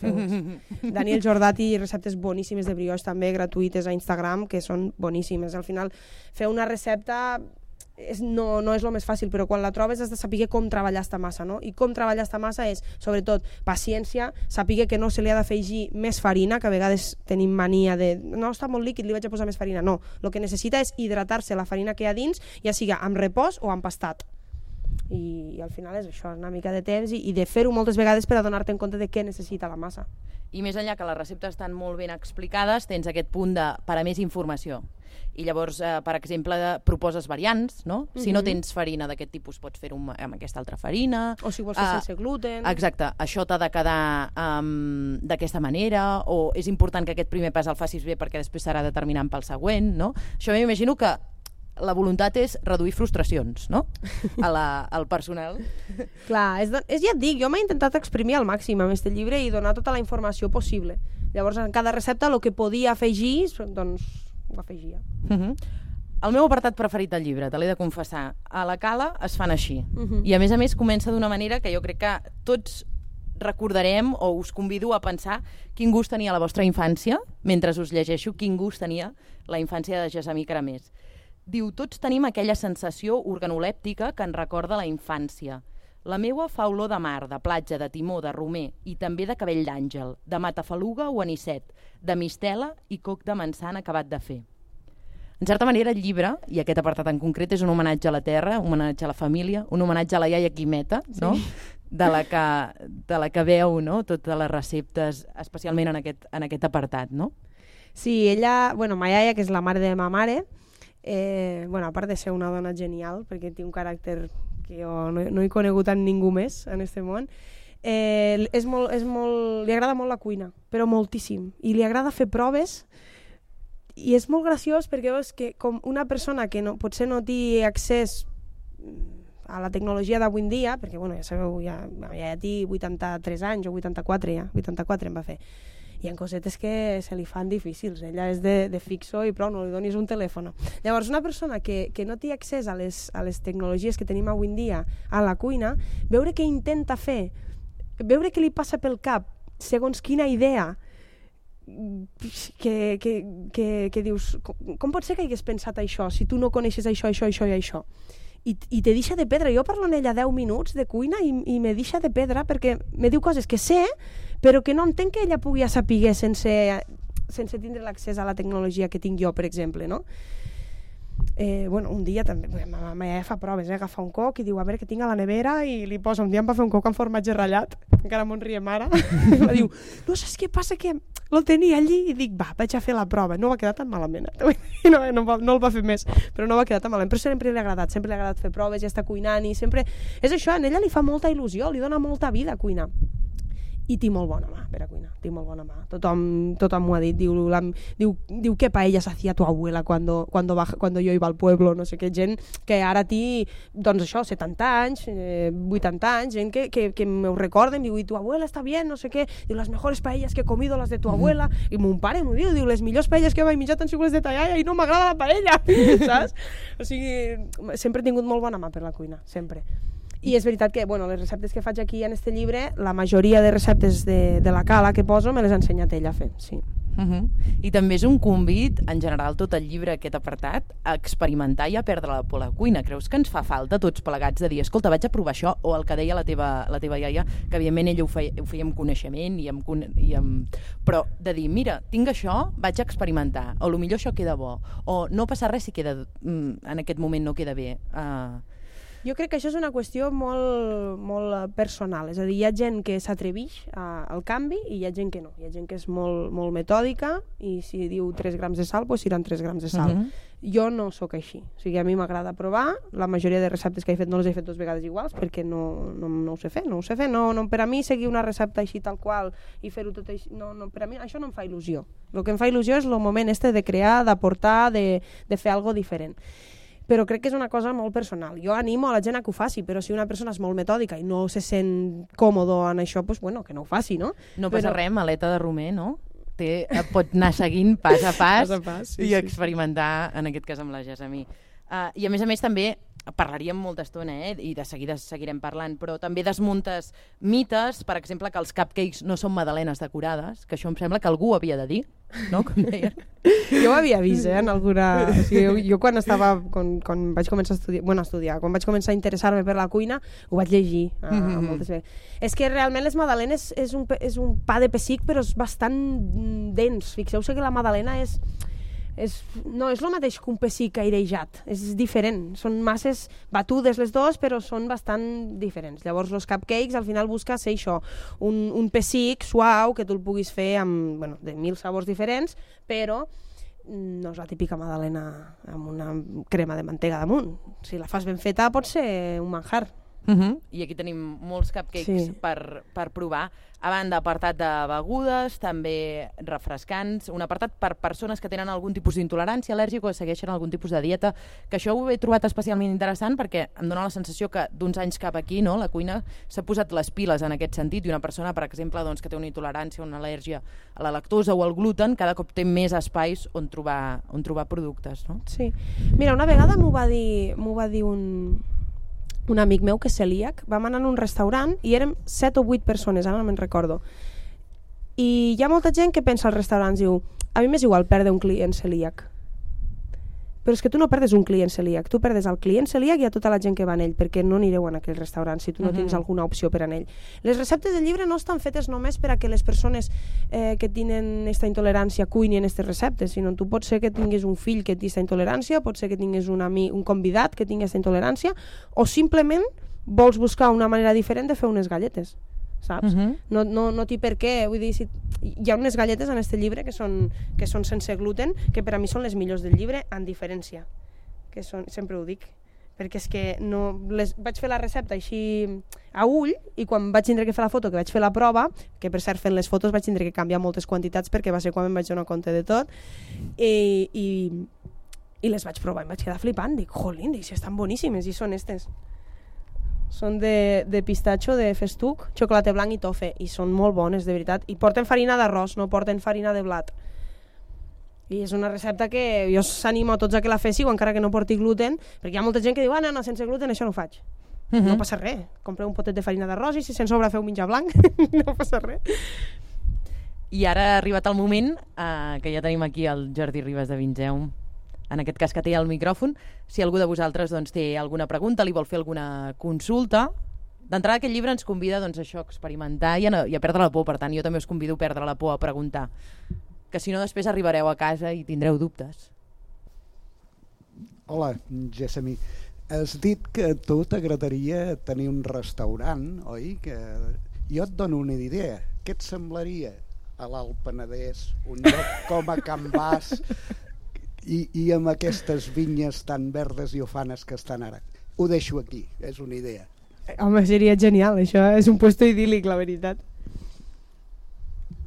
Daniel Jordati, receptes boníssimes de brioche també, gratuïtes a Instagram, que són boníssimes. Al final, fer una recepta és, no, no és el més fàcil, però quan la trobes has de saber com treballar esta massa, no? I com treballar esta massa és, sobretot, paciència, saber que no se li ha d'afegir més farina, que a vegades tenim mania de no, està molt líquid, li vaig a posar més farina. No, el que necessita és hidratar-se la farina que hi ha dins, ja siga amb repòs o amb pastat. I, i al final és això, una mica de temps i, i de fer-ho moltes vegades per adonar-te en compte de què necessita la massa. I més enllà que les receptes estan molt ben explicades, tens aquest punt de per a més informació. I llavors, eh, per exemple, proposes variants, no? Mm-hmm. Si no tens farina d'aquest tipus, pots fer-ho amb aquesta altra farina. O si vols fer uh, sense gluten. Exacte, això t'ha de quedar um, d'aquesta manera, o és important que aquest primer pas el facis bé perquè després serà determinant pel següent, no? Això m'imagino que la voluntat és reduir frustracions, no? A la, al personal. Clar, és, és, ja et dic, jo m'he intentat exprimir al màxim amb aquest llibre i donar tota la informació possible. Llavors, en cada recepta, el que podia afegir, doncs, ho afegia. Uh-huh. El meu apartat preferit del llibre, te l'he de confessar, a la Cala es fan així. Uh-huh. I a més a més comença d'una manera que jo crec que tots recordarem o us convido a pensar quin gust tenia la vostra infància, mentre us llegeixo quin gust tenia la infància de Gessamí Caramés. Diu, tots tenim aquella sensació organolèptica que ens recorda la infància. La meua fa olor de mar, de platja, de timó, de romer i també de cabell d'àngel, de matafaluga o anisset, de mistela i coc de manzana acabat de fer. En certa manera, el llibre, i aquest apartat en concret, és un homenatge a la terra, un homenatge a la família, un homenatge a la iaia Quimeta, no? Sí. de, la que, de la que veu, no? Totes les receptes, especialment en aquest, en aquest apartat, no? Sí, ella, bueno, ma iaia, que és la mare de ma mare, eh, bueno, a part de ser una dona genial, perquè té un caràcter que jo no, no he conegut en ningú més en este món, eh, és molt, és molt, li agrada molt la cuina, però moltíssim, i li agrada fer proves, i és molt graciós perquè veus que com una persona que no, potser no té accés a la tecnologia d'avui en dia, perquè bueno, ja sabeu, ja, ja té vuitanta-tres anys o vuitanta-quatre ja, vuitanta-quatre em va fer, hi ha cosetes que se li fan difícils, ella és de, de fixo i prou, no li donis un telèfon. Llavors una persona que, que no té accés a les, a les tecnologies que tenim avui en dia a la cuina, veure què intenta fer, veure què li passa pel cap, segons quina idea, que, que, que, que dius, com, com pot ser que hagués pensat això si tu no coneixes això, això, això i això? I, i te deixa de pedra. Jo parlo amb ella deu minuts de cuina i, i me deixa de pedra perquè me diu coses que sé però que no entenc que ella pugui saber sense, sense tindre l'accés a la tecnologia que tinc jo, per exemple, no? Eh, bueno, un dia també, ma mare fa proves, eh? Agafa un coc i diu, a veure què tinc a la nevera, i li posa, un dia em va fer un coc amb formatge ratllat, encara m'ho riem ara, i diu, no saps què passa, que lo tenia allí, i dic, va, vaig a fer la prova, no va quedar tan malament, I no, no, no el va fer més, però no va quedar tan malament, però sempre li ha agradat, sempre li ha agradat fer proves, ja està cuinant, i sempre, és això, a ella li fa molta il·lusió, li dona molta vida a cuinar. i tinc molt bona mà per a cuinar, tinc molt bona mà. Tothom, tothom m'ho ha dit, diu, la, diu, diu que paella s'hacía tu abuela cuando, cuando, baja, cuando yo iba al pueblo, no sé què, gent que ara té, doncs això, setanta anys, eh, vuitanta anys, gent que, que, que m'ho recorden, diu, i tu abuela està bien, no sé què, diu, les mejores paelles que he comido, les de tu abuela, i mon pare m'ho diu, diu, les millors paelles que he mai menjat han sigut les de ta iaia i no m'agrada la paella, saps? O sigui, sempre he tingut molt bona mà per la cuina, sempre. I és veritat que, bueno, les receptes que faig aquí en este llibre, la majoria de receptes de, de la cala que poso me les ha ensenyat ella a fer, sí. Uh -huh. I també és un convit, en general, tot el llibre, aquest apartat, a experimentar i a perdre la por a la cuina. Creus que ens fa falta, tots plegats, de dir, escolta, vaig a provar això, o el que deia la teva, la teva iaia, que evidentment ella ho feia, ho feia amb coneixement, i amb, i amb... però de dir, mira, tinc això, vaig a experimentar, o potser això queda bo, o no passa res si queda, en aquest moment no queda bé. Uh... Jo crec que això és una qüestió molt, molt personal, és a dir, hi ha gent que s'atreveix al canvi i hi ha gent que no, hi ha gent que és molt, molt metòdica i si diu tres grams de sal, doncs seran tres grams de sal. Uh-huh. Jo no sóc així, o sigui, a mi m'agrada provar, la majoria de receptes que he fet no les he fet dues vegades iguals perquè no, no, no ho sé fer, no ho sé fer, no, no, per a mi seguir una recepta així tal qual i fer-ho tot així, no, no, per a mi això no em fa il·lusió. El que em fa il·lusió és el moment este de crear, d'aportar, de, de fer alguna diferent. Però crec que és una cosa molt personal. Jo animo a la gent a que ho faci, però si una persona és molt metòdica i no se sent còmodo en això, doncs bueno, que no ho faci, no? No passa però... res, maleta de romer, no? Té, pot anar seguint pas a pas, pas, a pas sí, i sí. experimentar, en aquest cas amb la Gessamí. Uh, I a més a més també parlaríem molta estona, eh? I de seguida seguirem parlant, però també desmuntes mites, per exemple, que els cupcakes no són magdalenes decorades, que això em sembla que algú havia de dir, no? Com deia. Jo ho havia vist, eh, en alguna... O sigui, jo, jo quan estava, quan, quan vaig començar a estudiar, bueno, a estudiar, quan vaig començar a interessar-me per la cuina, ho vaig llegir uh, mm-hmm. moltes vegades. És que realment les magdalenes és un, és un pa de pessic, però és bastant dens. Fixeu-se que la magdalena és... És, no és el mateix que un pessic airejat, és diferent, són masses batudes les dues però són bastant diferents. Llavors els cupcakes al final busca ser això, un, un pessic suau que tu el puguis fer amb, bueno, de mil sabors diferents, però no és la típica magdalena amb una crema de mantega damunt. Si la fas ben feta pot ser un manjar. Uh-huh. I aquí tenim molts cupcakes sí. per, per provar. A banda, apartat de begudes, també refrescants, un apartat per persones que tenen algun tipus d'intolerància al·lèrgica o segueixen algun tipus de dieta, que això ho he trobat especialment interessant perquè em dóna la sensació que d'uns anys cap aquí, no, la cuina s'ha posat les piles en aquest sentit, i una persona, per exemple, doncs, que té una intolerància o una al·lèrgia a la lactosa o al gluten, cada cop té més espais on trobar, on trobar productes, no? Sí. Mira, una vegada m'ho va dir, m'ho va dir un... un amic meu que és celíac, vam anar a un restaurant i érem set o vuit persones, ara no me'n recordo. I hi ha molta gent que pensa als restaurants, diu, a mi m'és igual perdre un client celíac. Però és que tu no perdes un client celíac, tu perdes el client celíac i a tota la gent que va en ell, perquè no anireu en aquell restaurant si tu no uh-huh. tens alguna opció per en ell. Les receptes del llibre no estan fetes només per a que les persones eh, que tenen aquesta intolerància cuinin aquestes receptes, sinó tu pot ser que tinguis un fill que té aquesta intolerància, pot ser que tinguis un, ami, un convidat que tingui aquesta intolerància, o simplement vols buscar una manera diferent de fer unes galletes, saps? Uh-huh. No, no, no té per què, vull dir, si hi ha unes galletes en este llibre que són, que són sense gluten, que per a mi són les millors del llibre, en diferència, que són, sempre ho dic, perquè és que no, les, vaig fer la recepta així a ull, i quan vaig tindre que fer la foto, que vaig fer la prova, que per cert fent les fotos vaig tindre que canviar moltes quantitats perquè va ser quan em vaig donar compte de tot, i, i, i les vaig provar i em vaig quedar flipant, dic, jolín, dic, si estan boníssimes, i són estes. Són de, de pistatxo, de festuc, xocolata blanc i tofe, i són molt bones, de veritat. I porten farina d'arròs, no porten farina de blat. I és una recepta que jo s'animo a tots a que la féssiu, encara que no porti gluten, perquè hi ha molta gent que diu, ah, no, no, sense gluten això no ho faig. Uh-huh. No passa res. Compreu un potet de farina d'arròs i si se'n sobra feu menjar blanc, no passa res. I ara ha arribat el moment eh, que ja tenim aquí el Jordi Ribas de Vingeum, en aquest cas que té el micròfon. Si algú de vosaltres doncs, té alguna pregunta, li vol fer alguna consulta, d'entrada aquest llibre ens convida doncs, a això, a experimentar i a, i a perdre la por. Per tant, jo també us convido a perdre la por, a preguntar, que si no després arribareu a casa i tindreu dubtes. Hola, Gessamí. Has dit que a tu t'agradaria tenir un restaurant, oi? Que jo et dono una idea. Què et semblaria a l'Alt Penedès, un lloc com a Can Bas, I, i amb aquestes vinyes tan verdes i ufanes que estan ara? Ho deixo aquí, és una idea. Home, seria genial, això és un puesto idíl·lic, la veritat.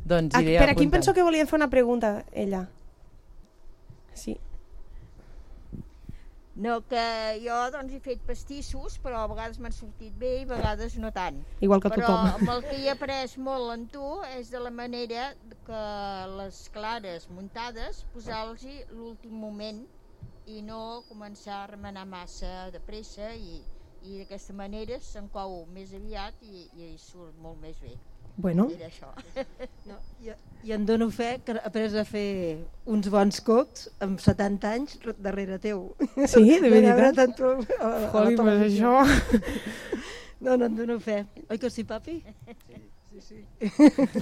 Doncs Ah, iré per aquí em apuntant. penso que volien fer una pregunta, ella. Sí. No, que jo doncs, he fet pastissos, però a vegades m'han sortit bé i a vegades no tant. Igual que Però tothom. amb el que he après molt en tu és de la manera que les clares muntades posar-los-hi l'últim moment i no començar a remenar massa de pressa i, i d'aquesta manera se'n cou més aviat i, i surt molt més bé. Bueno. Era això. No, i, I em dono fe que he après a fer uns bons cocs amb setanta anys darrere teu. Sí, de veritat? Tant tu, a, a Joli, pues això... No, no, em dono fe. Oi que sí, papi? Sí, sí.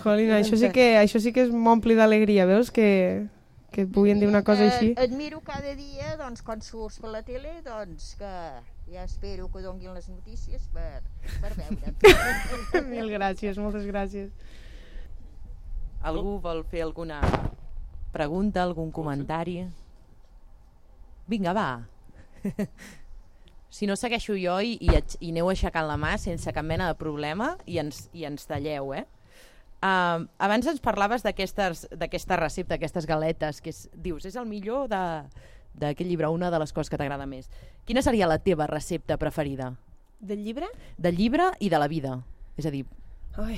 Joli, això sí que, això sí que és m'ompli d'alegria, veus? Que, que et puguin dir una cosa així. Eh, admiro cada dia, doncs, quan surts per la tele, doncs, que ja espero que donguin les notícies per, per veure. Mil gràcies, moltes gràcies. Algú vol fer alguna pregunta, algun comentari? Vinga, va. Si no, segueixo jo i, i, i aneu aixecant la mà sense cap mena de problema i ens, i ens talleu, eh? Uh, abans ens parlaves d'aquesta recepta, aquestes galetes, que és, dius, és el millor d'aquest llibre, una de les coses que t'agrada més. Quina seria la teva recepta preferida? Del llibre? Del llibre i de la vida. És a dir... Ai...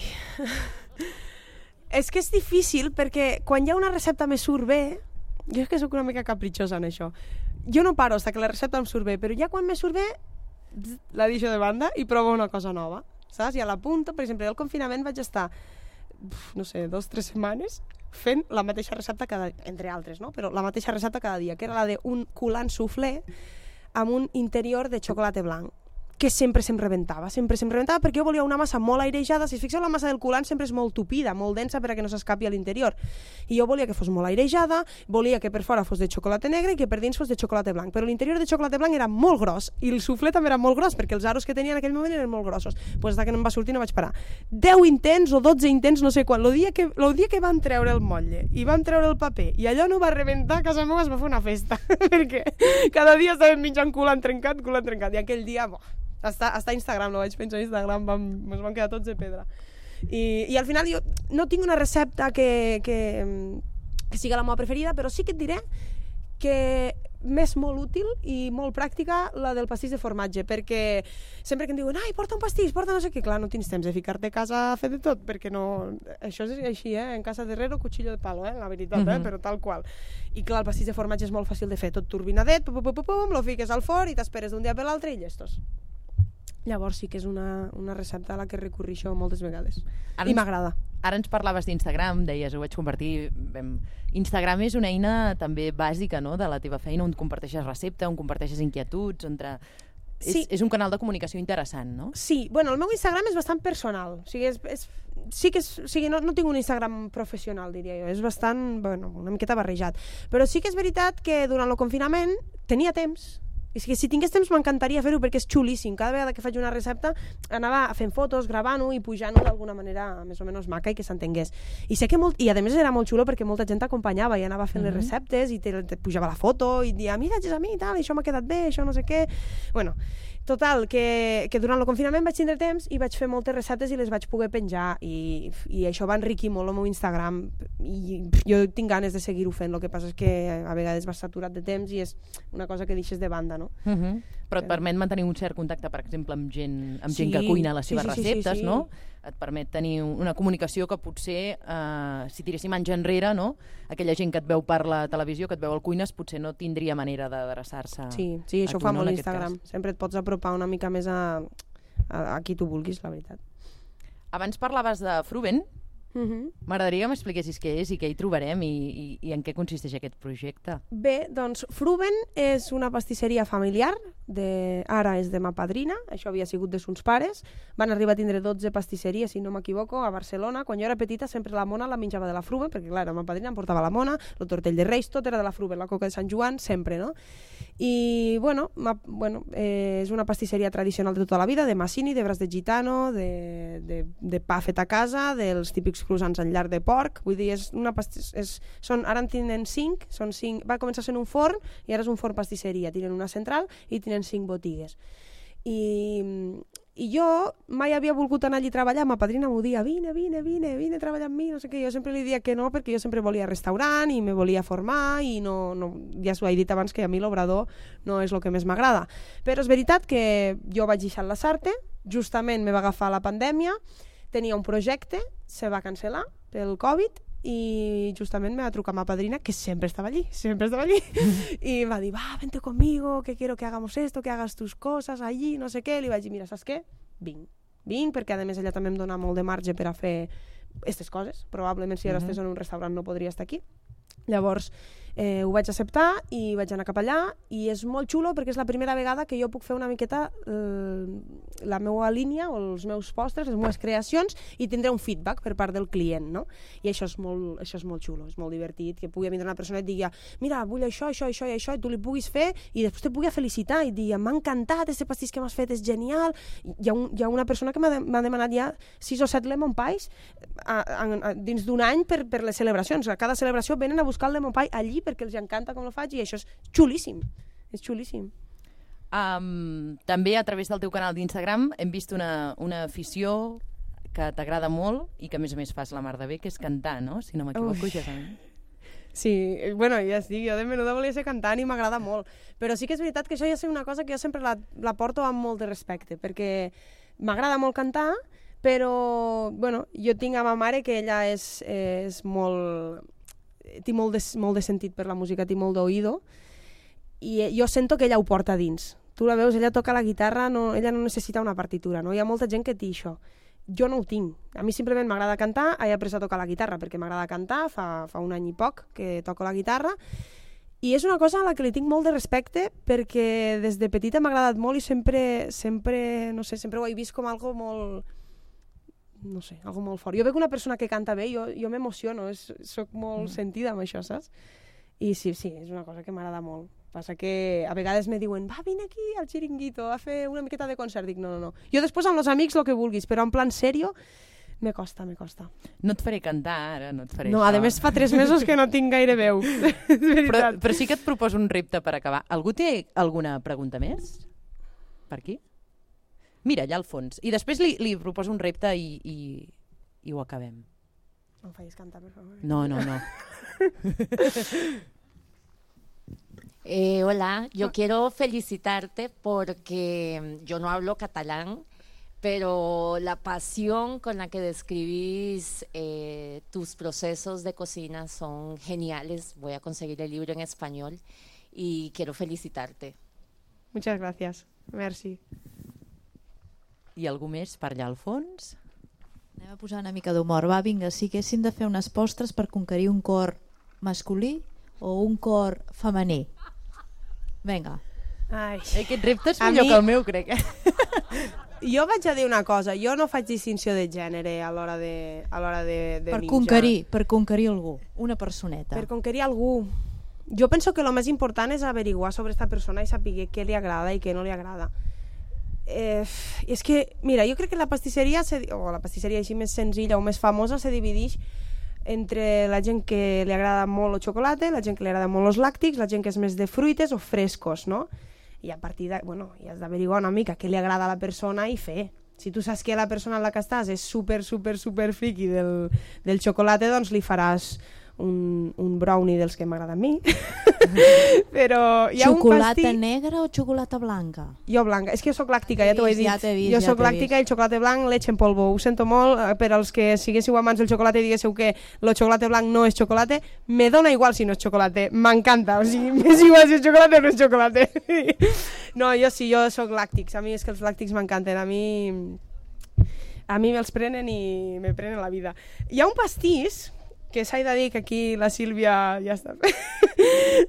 És que és difícil perquè quan hi ha una recepta me surt bé, jo és que sóc una mica capritxosa en això. Jo no paro fins que la recepta em surt bé, però ja quan me surt bé la deixo de banda i provo una cosa nova, saps? I a la punta, per exemple, al confinament vaig estar, no sé, dos o tres setmanes fent la mateixa recepta cada dia, entre altres, no? Però la mateixa recepta cada dia, que era la d'un coulant soufflé amb un interior de xocolata blanc, que sempre se'm rebentava, sempre se'm rebentava perquè jo volia una massa molt airejada. Si es fixeu, la massa del coulant sempre és molt tupida, molt densa perquè no s'escapi a l'interior, i jo volia que fos molt airejada, volia que per fora fos de xocolata negra i que per dins fos de xocolata blanc, però l'interior de xocolata blanc era molt gros i el soufflé també era molt gros perquè els aros que tenia en aquell moment eren molt grossos. Pues des que no em va sortir no vaig parar. deu intents o dotze intents, no sé quan, el dia que, el dia que van treure el motlle i van treure el paper i allò no va rebentar, a casa meva es va fer una festa perquè cada dia estàvem menjant coulant trencat, coulant trencat, i aquell dia, boh, Està, està a Instagram, no vaig pensar a Instagram, vam, ens van quedar tots de pedra. I, i al final jo no tinc una recepta que, que, que siga la meva preferida, però sí que et diré que m'és molt útil i molt pràctica la del pastís de formatge, perquè sempre que em diuen ai, porta un pastís, porta no sé què, clar, no tens temps de ficar-te a casa a fer de tot, perquè no... Això és així, eh? En casa de herrero, cuchillo de palo, eh? La veritat, eh? Mhm. Però tal qual. I clar, el pastís de formatge és molt fàcil de fer, tot turbinadet, pum, pum, pum, pum, lo fiques al forn i t'esperes d'un dia per l'altre i llestos. Llavors sí que és una, una recepta a la que recorrixo moltes vegades. Ara I ens- m'agrada. Ara ens parlaves d'Instagram, deies, ho vaig convertir... Vam... Instagram és una eina també bàsica, no?, de la teva feina, on comparteixes recepta, on comparteixes inquietuds, on... Tra... Sí. És, és un canal de comunicació interessant, no? Sí, bueno, el meu Instagram és bastant personal. O sigui, és, és, sí que és, o sigui, no, no tinc un Instagram professional, diria jo. És bastant, bueno, una miqueta barrejat. Però sí que és veritat que durant el confinament tenia temps. I si, si tingués temps m'encantaria fer-ho perquè és xulíssim. Cada vegada que faig una recepta anava fent fotos, gravant-ho i pujant-ho d'alguna manera més o menys maca i que s'entengués. I sé que molt, i a més era molt xulo perquè molta gent t'acompanyava i anava fent Mhm. les receptes i te, te pujava la foto i dia, mira, és a mi i tal, això m'ha quedat bé, això no sé què. Bueno, total, que, que durant el confinament vaig tindre temps i vaig fer moltes receptes i les vaig poder penjar i, i això va enriquir molt el meu Instagram i jo tinc ganes de seguir-ho fent, el que passa és que a vegades vas saturat de temps i és una cosa que deixes de banda, no? Uh -huh. Però et permet mantenir un cert contacte, per exemple, amb gent, amb gent Sí, que cuina les sí, seves sí, sí, sí, receptes, sí. no? Et permet tenir una comunicació que potser, eh, si tiréssim anys enrere, no? Aquella gent que et veu per la televisió, que et veu al cuines, potser no tindria manera d'adreçar-se Sí, sí, a això ho tu, fa no, molt en aquest l'Instagram. cas. Sempre et pots apropar una mica més a, a, a qui tu vulguis, la veritat. Abans parlaves de Fruben. Uh -huh. M'agradaria que m'expliquessis què és i què hi trobarem i, i, i en què consisteix aquest projecte. Bé, doncs Fruben és una pastisseria familiar, de, ara és de ma padrina, això havia sigut de sos pares, van arribar a tindre dotze pastisseries, si no m'equivoco, a Barcelona. Quan jo era petita sempre la mona la menjava de la Fruben, perquè clar, ma padrina em portava la mona, el tortell de Reis, tot era de la Fruben, la coca de Sant Joan, sempre, no? I, bueno, ma, bueno eh, és una pastisseria tradicional de tota la vida, de massini, de braç de gitano, de, de, de pa fet a casa, dels típics croissants en llarg de porc, vull dir, és una pastis, és, són, ara en tenen cinc, són cinc, va començar sent un forn i ara és un forn pastisseria, tenen una central i tenen cinc botigues. I, I jo mai havia volgut anar allí a treballar, ma padrina m'ho dia, vine, vine, vine, vine a treballar amb mi, no sé què, jo sempre li dia que no, perquè jo sempre volia restaurant i me volia formar i no, no, ja s'ho he dit abans que a mi l'obrador no és el que més m'agrada. Però és veritat que jo vaig deixar la Sarte, justament me va agafar la pandèmia, tenia un projecte, se va cancel·lar pel Covid i justament me va trucar ma padrina, que sempre estava allí, sempre estava allí, i va dir, va, vente conmigo, que quiero que hagamos esto, que hagas tus cosas allí, no sé què. Li vaig dir, mira, saps què? Vinc. Vinc, perquè a més ella també em dona molt de marge per a fer aquestes coses. Probablement si ara uh-huh. estàs en un restaurant no podria estar aquí. Llavors, eh, ho vaig acceptar i vaig anar cap allà i és molt xulo perquè és la primera vegada que jo puc fer una miqueta eh, la meva línia o els meus postres, les meves creacions i tindré un feedback per part del client, no? I això és molt, això és molt xulo, és molt divertit, que pugui vindre una persona i et digui, mira, vull això, això, això i això, i tu li puguis fer i després te pugui felicitar i dir, m'ha encantat, este pastís que m'has fet és genial. Hi ha, un, hi ha una persona que m'ha de, demanat ja sis o set lemon pies a, a, a, dins d'un any per, per les celebracions. A cada celebració venen a buscar el lemon pie allí perquè els encanta com ho faig i això és xulíssim, és xulíssim. Um, també a través del teu canal d'Instagram hem vist una, una afició que t'agrada molt i que a més a més fas la mar de bé, que és cantar, no? Si no m'equivoco, ja també. Sí, bueno, ja estic, jo de menuda volia ser cantant i m'agrada molt, però sí que és veritat que això ja és una cosa que jo sempre la, la porto amb molt de respecte, perquè m'agrada molt cantar, però, bueno, jo tinc a ma mare que ella és, és molt... té molt de, molt de sentit per la música, té molt d'oïdo, i jo sento que ella ho porta dins. Tu la veus, ella toca la guitarra, no, ella no necessita una partitura, no? Hi ha molta gent que té això. Jo no ho tinc. A mi simplement m'agrada cantar, he après a tocar la guitarra perquè m'agrada cantar, fa, fa un any i poc que toco la guitarra, i és una cosa a la que li tinc molt de respecte perquè des de petita m'ha agradat molt i sempre, sempre, no sé, sempre ho he vist com algo molt... no sé, algo molt fort. Jo veig una persona que canta bé, jo, jo m'emociono, soc molt mm. sentida amb això, saps? I sí, sí, és una cosa que m'agrada molt. Passa que a vegades me diuen, va, vine aquí al Chiringuito a fer una miqueta de concert. Dic, no, no, no. Jo després amb els amics el que vulguis, però en plan serio, me costa, me costa. No et faré cantar ara, no et faré no, això. No, a més fa tres mesos que no tinc gaire veu. però, però sí que et proposo un repte per acabar. Algú té alguna pregunta més? Per aquí? Mira, allà al fons. I després li, li proposo un repte i, i, i ho acabem. No em facis cantar, per favor. No, no, no. eh, hola, yo quiero felicitarte porque yo no hablo catalán, pero la pasión con la que describís eh, tus procesos de cocina son geniales. Voy a conseguir el libro en español y quiero felicitarte. Muchas gracias. Merci. I algú més per allà al fons? Anem a posar una mica d'humor. Va, vinga, si haguessin de fer unes postres per conquerir un cor masculí o un cor femení. Vinga. Ai. Aquest repte és millor mi... que el meu, crec. Jo vaig a dir una cosa, jo no faig distinció de gènere a l'hora de, a l'hora de, de per menjar. Conquerir, per conquerir algú, una personeta. Per conquerir algú. Jo penso que el més important és averiguar sobre aquesta persona i saber què li agrada i què no li agrada. Eh, és que, mira, jo crec que la pastisseria se, o la pastisseria així més senzilla o més famosa se divideix entre la gent que li agrada molt el xocolate, la gent que li agrada molt els làctics, la gent que és més de fruites o frescos, no? I a partir de, bueno, hi has d'averiguar una mica què li agrada a la persona i fer. Si tu saps que la persona en la que estàs és super, super, super friki del, del xocolate, doncs li faràs un, un brownie dels que m'agrada a mi. Però hi ha xocolata un pastís... negra o xocolata blanca? Jo blanca, és que jo soc làctica, ja t'ho he dit. Ja vist, jo ja soc làctica i el xocolate blanc leche en polvo. Ho sento molt, per als que siguéssiu amants del xocolate i diguéssiu que el xocolate blanc no és xocolate, me dona igual si no és xocolate, m'encanta, o sigui, m'és igual si és xocolate o no és xocolate. No, jo sí, jo soc làctics, a mi és que els làctics m'encanten, a mi... a mi me'ls prenen i me prenen la vida. Hi ha un pastís que s'ha de dir que aquí la Sílvia ja està.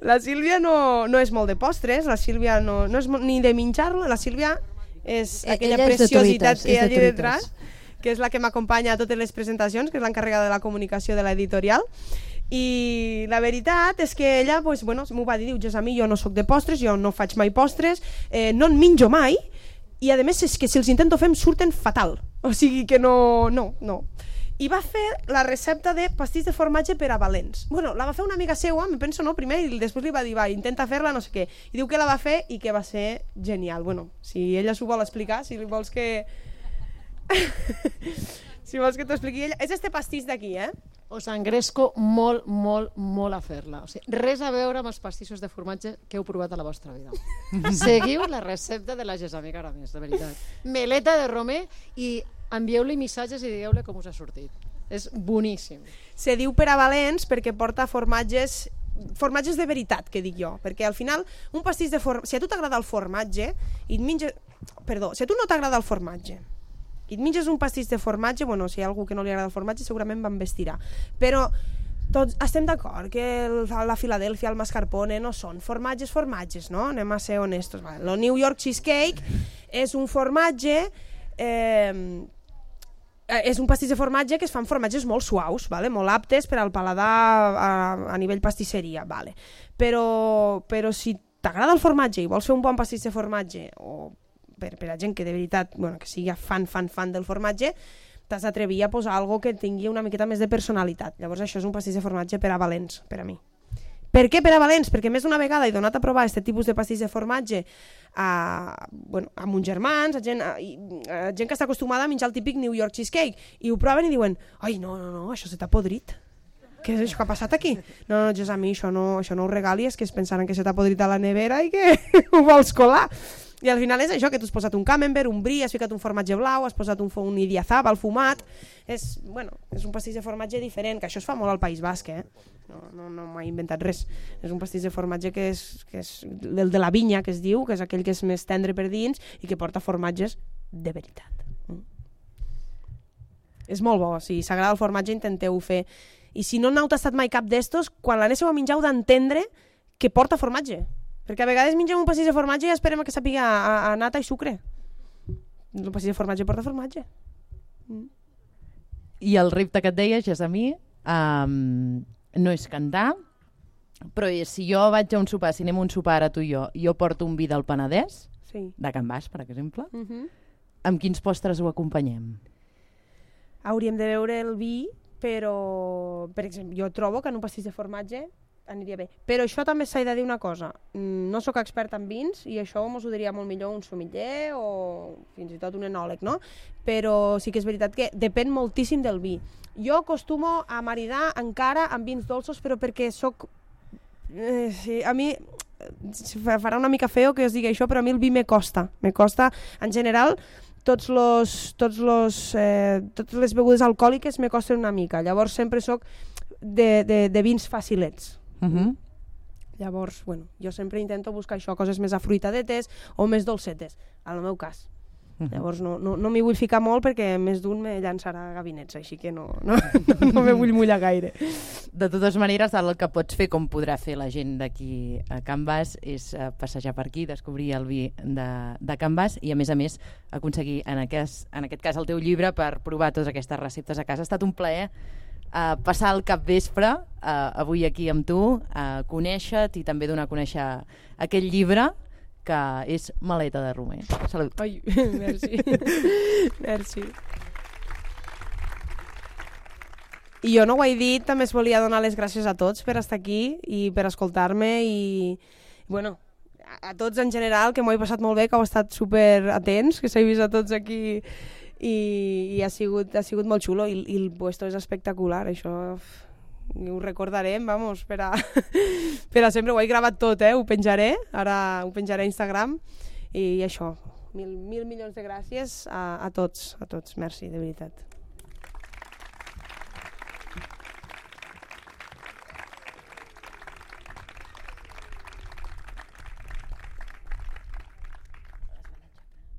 La Sílvia no, no és molt de postres, la Sílvia no, no és ni de menjar-lo, la Sílvia és aquella Ella és preciositat truites, que hi ha de allà detrás, que és la que m'acompanya a totes les presentacions, que és l'encarregada de la comunicació de l'editorial. I la veritat és que ella pues, bueno, m'ho va dir, diu, Jesami, jo no sóc de postres, jo no faig mai postres, eh, no en menjo mai, i a més és que si els intento fer em surten fatal, o sigui que no, no, no. i va fer la recepta de pastís de formatge per a valents. Bueno, la va fer una amiga seua, me penso, no, primer, i després li va dir, va, intenta fer-la, no sé què. I diu que la va fer i que va ser genial. Bueno, si ella s'ho vol explicar, si li vols que... si vols que t'ho expliqui ella... És este pastís d'aquí, eh? Us engresco molt, molt, molt a fer-la. O sigui, res a veure amb els pastissos de formatge que heu provat a la vostra vida. Seguiu la recepta de la Gesamica Aramés, de veritat. Meleta de romer i envieu-li missatges i digueu-li com us ha sortit. És boníssim. Se diu per a valents perquè porta formatges formatges de veritat, que dic jo, perquè al final un pastís de formatge, si a tu t'agrada el formatge i et menges, perdó, si a tu no t'agrada el formatge i et menges un pastís de formatge, bueno, si hi ha algú que no li agrada el formatge segurament va embestirà, però tots estem d'acord que el, la Filadèlfia, el mascarpone no són formatges formatges, no? Anem a ser honestos. El New York Cheesecake és un formatge eh, és un pastís de formatge que es fan formatges molt suaus, vale? Molt aptes per al paladar a, a nivell pastisseria, vale? però, però si t'agrada el formatge i vols fer un bon pastís de formatge, o per, per a gent que de veritat, bueno, que sigui fan, fan, fan del formatge, t'has d'atrevir a posar algo que tingui una miqueta més de personalitat. Llavors això és un pastís de formatge per a valents, per a mi. Per què per a valents? Perquè més d'una vegada he donat a provar aquest tipus de pastís de formatge a, bueno, a mons germans, a gent, a, a gent que està acostumada a menjar el típic New York Cheesecake, i ho proven i diuen, ai, no, no, no, això se t'ha podrit. Què és això que ha passat aquí? No, no, jo a mi això no, això no ho regalis, que es pensaran que se t'ha podrit a la nevera i que ho vols colar. I al final és això, que tu has posat un camembert, un brie, has ficat un formatge blau, has posat un, un idiazabal fumat. És, bueno, és un pastís de formatge diferent, que això es fa molt al País Basc, eh? No, no, no m'ha inventat res. És un pastís de formatge que és, que és el de la vinya, que es diu, que és aquell que és més tendre per dins i que porta formatges de veritat. Mm. És molt bo, si s'agrada el formatge intenteu fer. I si no n'heu tastat mai cap d'estos, quan l'anéssim a menjar heu d'entendre que porta formatge. Perquè a vegades mengem un pastís de formatge i esperem que sàpiga a, a nata i sucre. El pastís de formatge porta formatge. Mm. I el repte que et deia, Gessamí, um, no és cantar, però si jo vaig a un sopar, si anem a un sopar ara tu i jo, jo porto un vi del Penedès, sí. de Can Bas, per exemple, uh -huh. amb quins postres ho acompanyem? Hauríem de veure el vi, però, per exemple, jo trobo que en un pastís de formatge aniria bé. Però això també s'ha de dir una cosa. No sóc expert en vins i això mos ho diria molt millor un sommelier o fins i tot un enòleg, no? Però sí que és veritat que depèn moltíssim del vi. Jo acostumo a maridar encara amb vins dolços, però perquè sóc... Eh, sí, a mi farà una mica feo que us digui això, però a mi el vi me costa. Me costa, en general, tots los, tots los, eh, totes les begudes alcohòliques me costen una mica. Llavors sempre sóc de, de, de vins facilets. Uh -huh. Llavors, bueno, jo sempre intento buscar això, coses més afruitadetes o més dolcetes, en el meu cas. Uh -huh. Llavors no, no, no m'hi vull ficar molt perquè més d'un me llançarà gabinets, així que no, no, no, no me vull mullar gaire. De totes maneres, el que pots fer, com podrà fer la gent d'aquí a Can Bas, és uh, passejar per aquí, descobrir el vi de, de Can Bas i, a més a més, aconseguir, en aquest, en aquest cas, el teu llibre per provar totes aquestes receptes a casa. Ha estat un plaer Uh, passar el capvespre uh, avui aquí amb tu, uh, conèixer-te i també donar a conèixer aquest llibre que és Maleta de romer. Salut. Ai, merci. Merci. I jo no ho he dit, també es volia donar les gràcies a tots per estar aquí i per escoltar-me i, bueno, a, a tots en general, que m'ho he passat molt bé, que heu estat super atents, que s'he vist a tots aquí i, i ha, sigut, ha sigut molt xulo i, i el puesto és espectacular, això ho recordarem, vamos, per a, per a sempre. Ho he gravat tot, eh? Ho penjaré, ara ho penjaré a Instagram i això, mil, mil milions de gràcies a, a tots, a tots, merci, de veritat.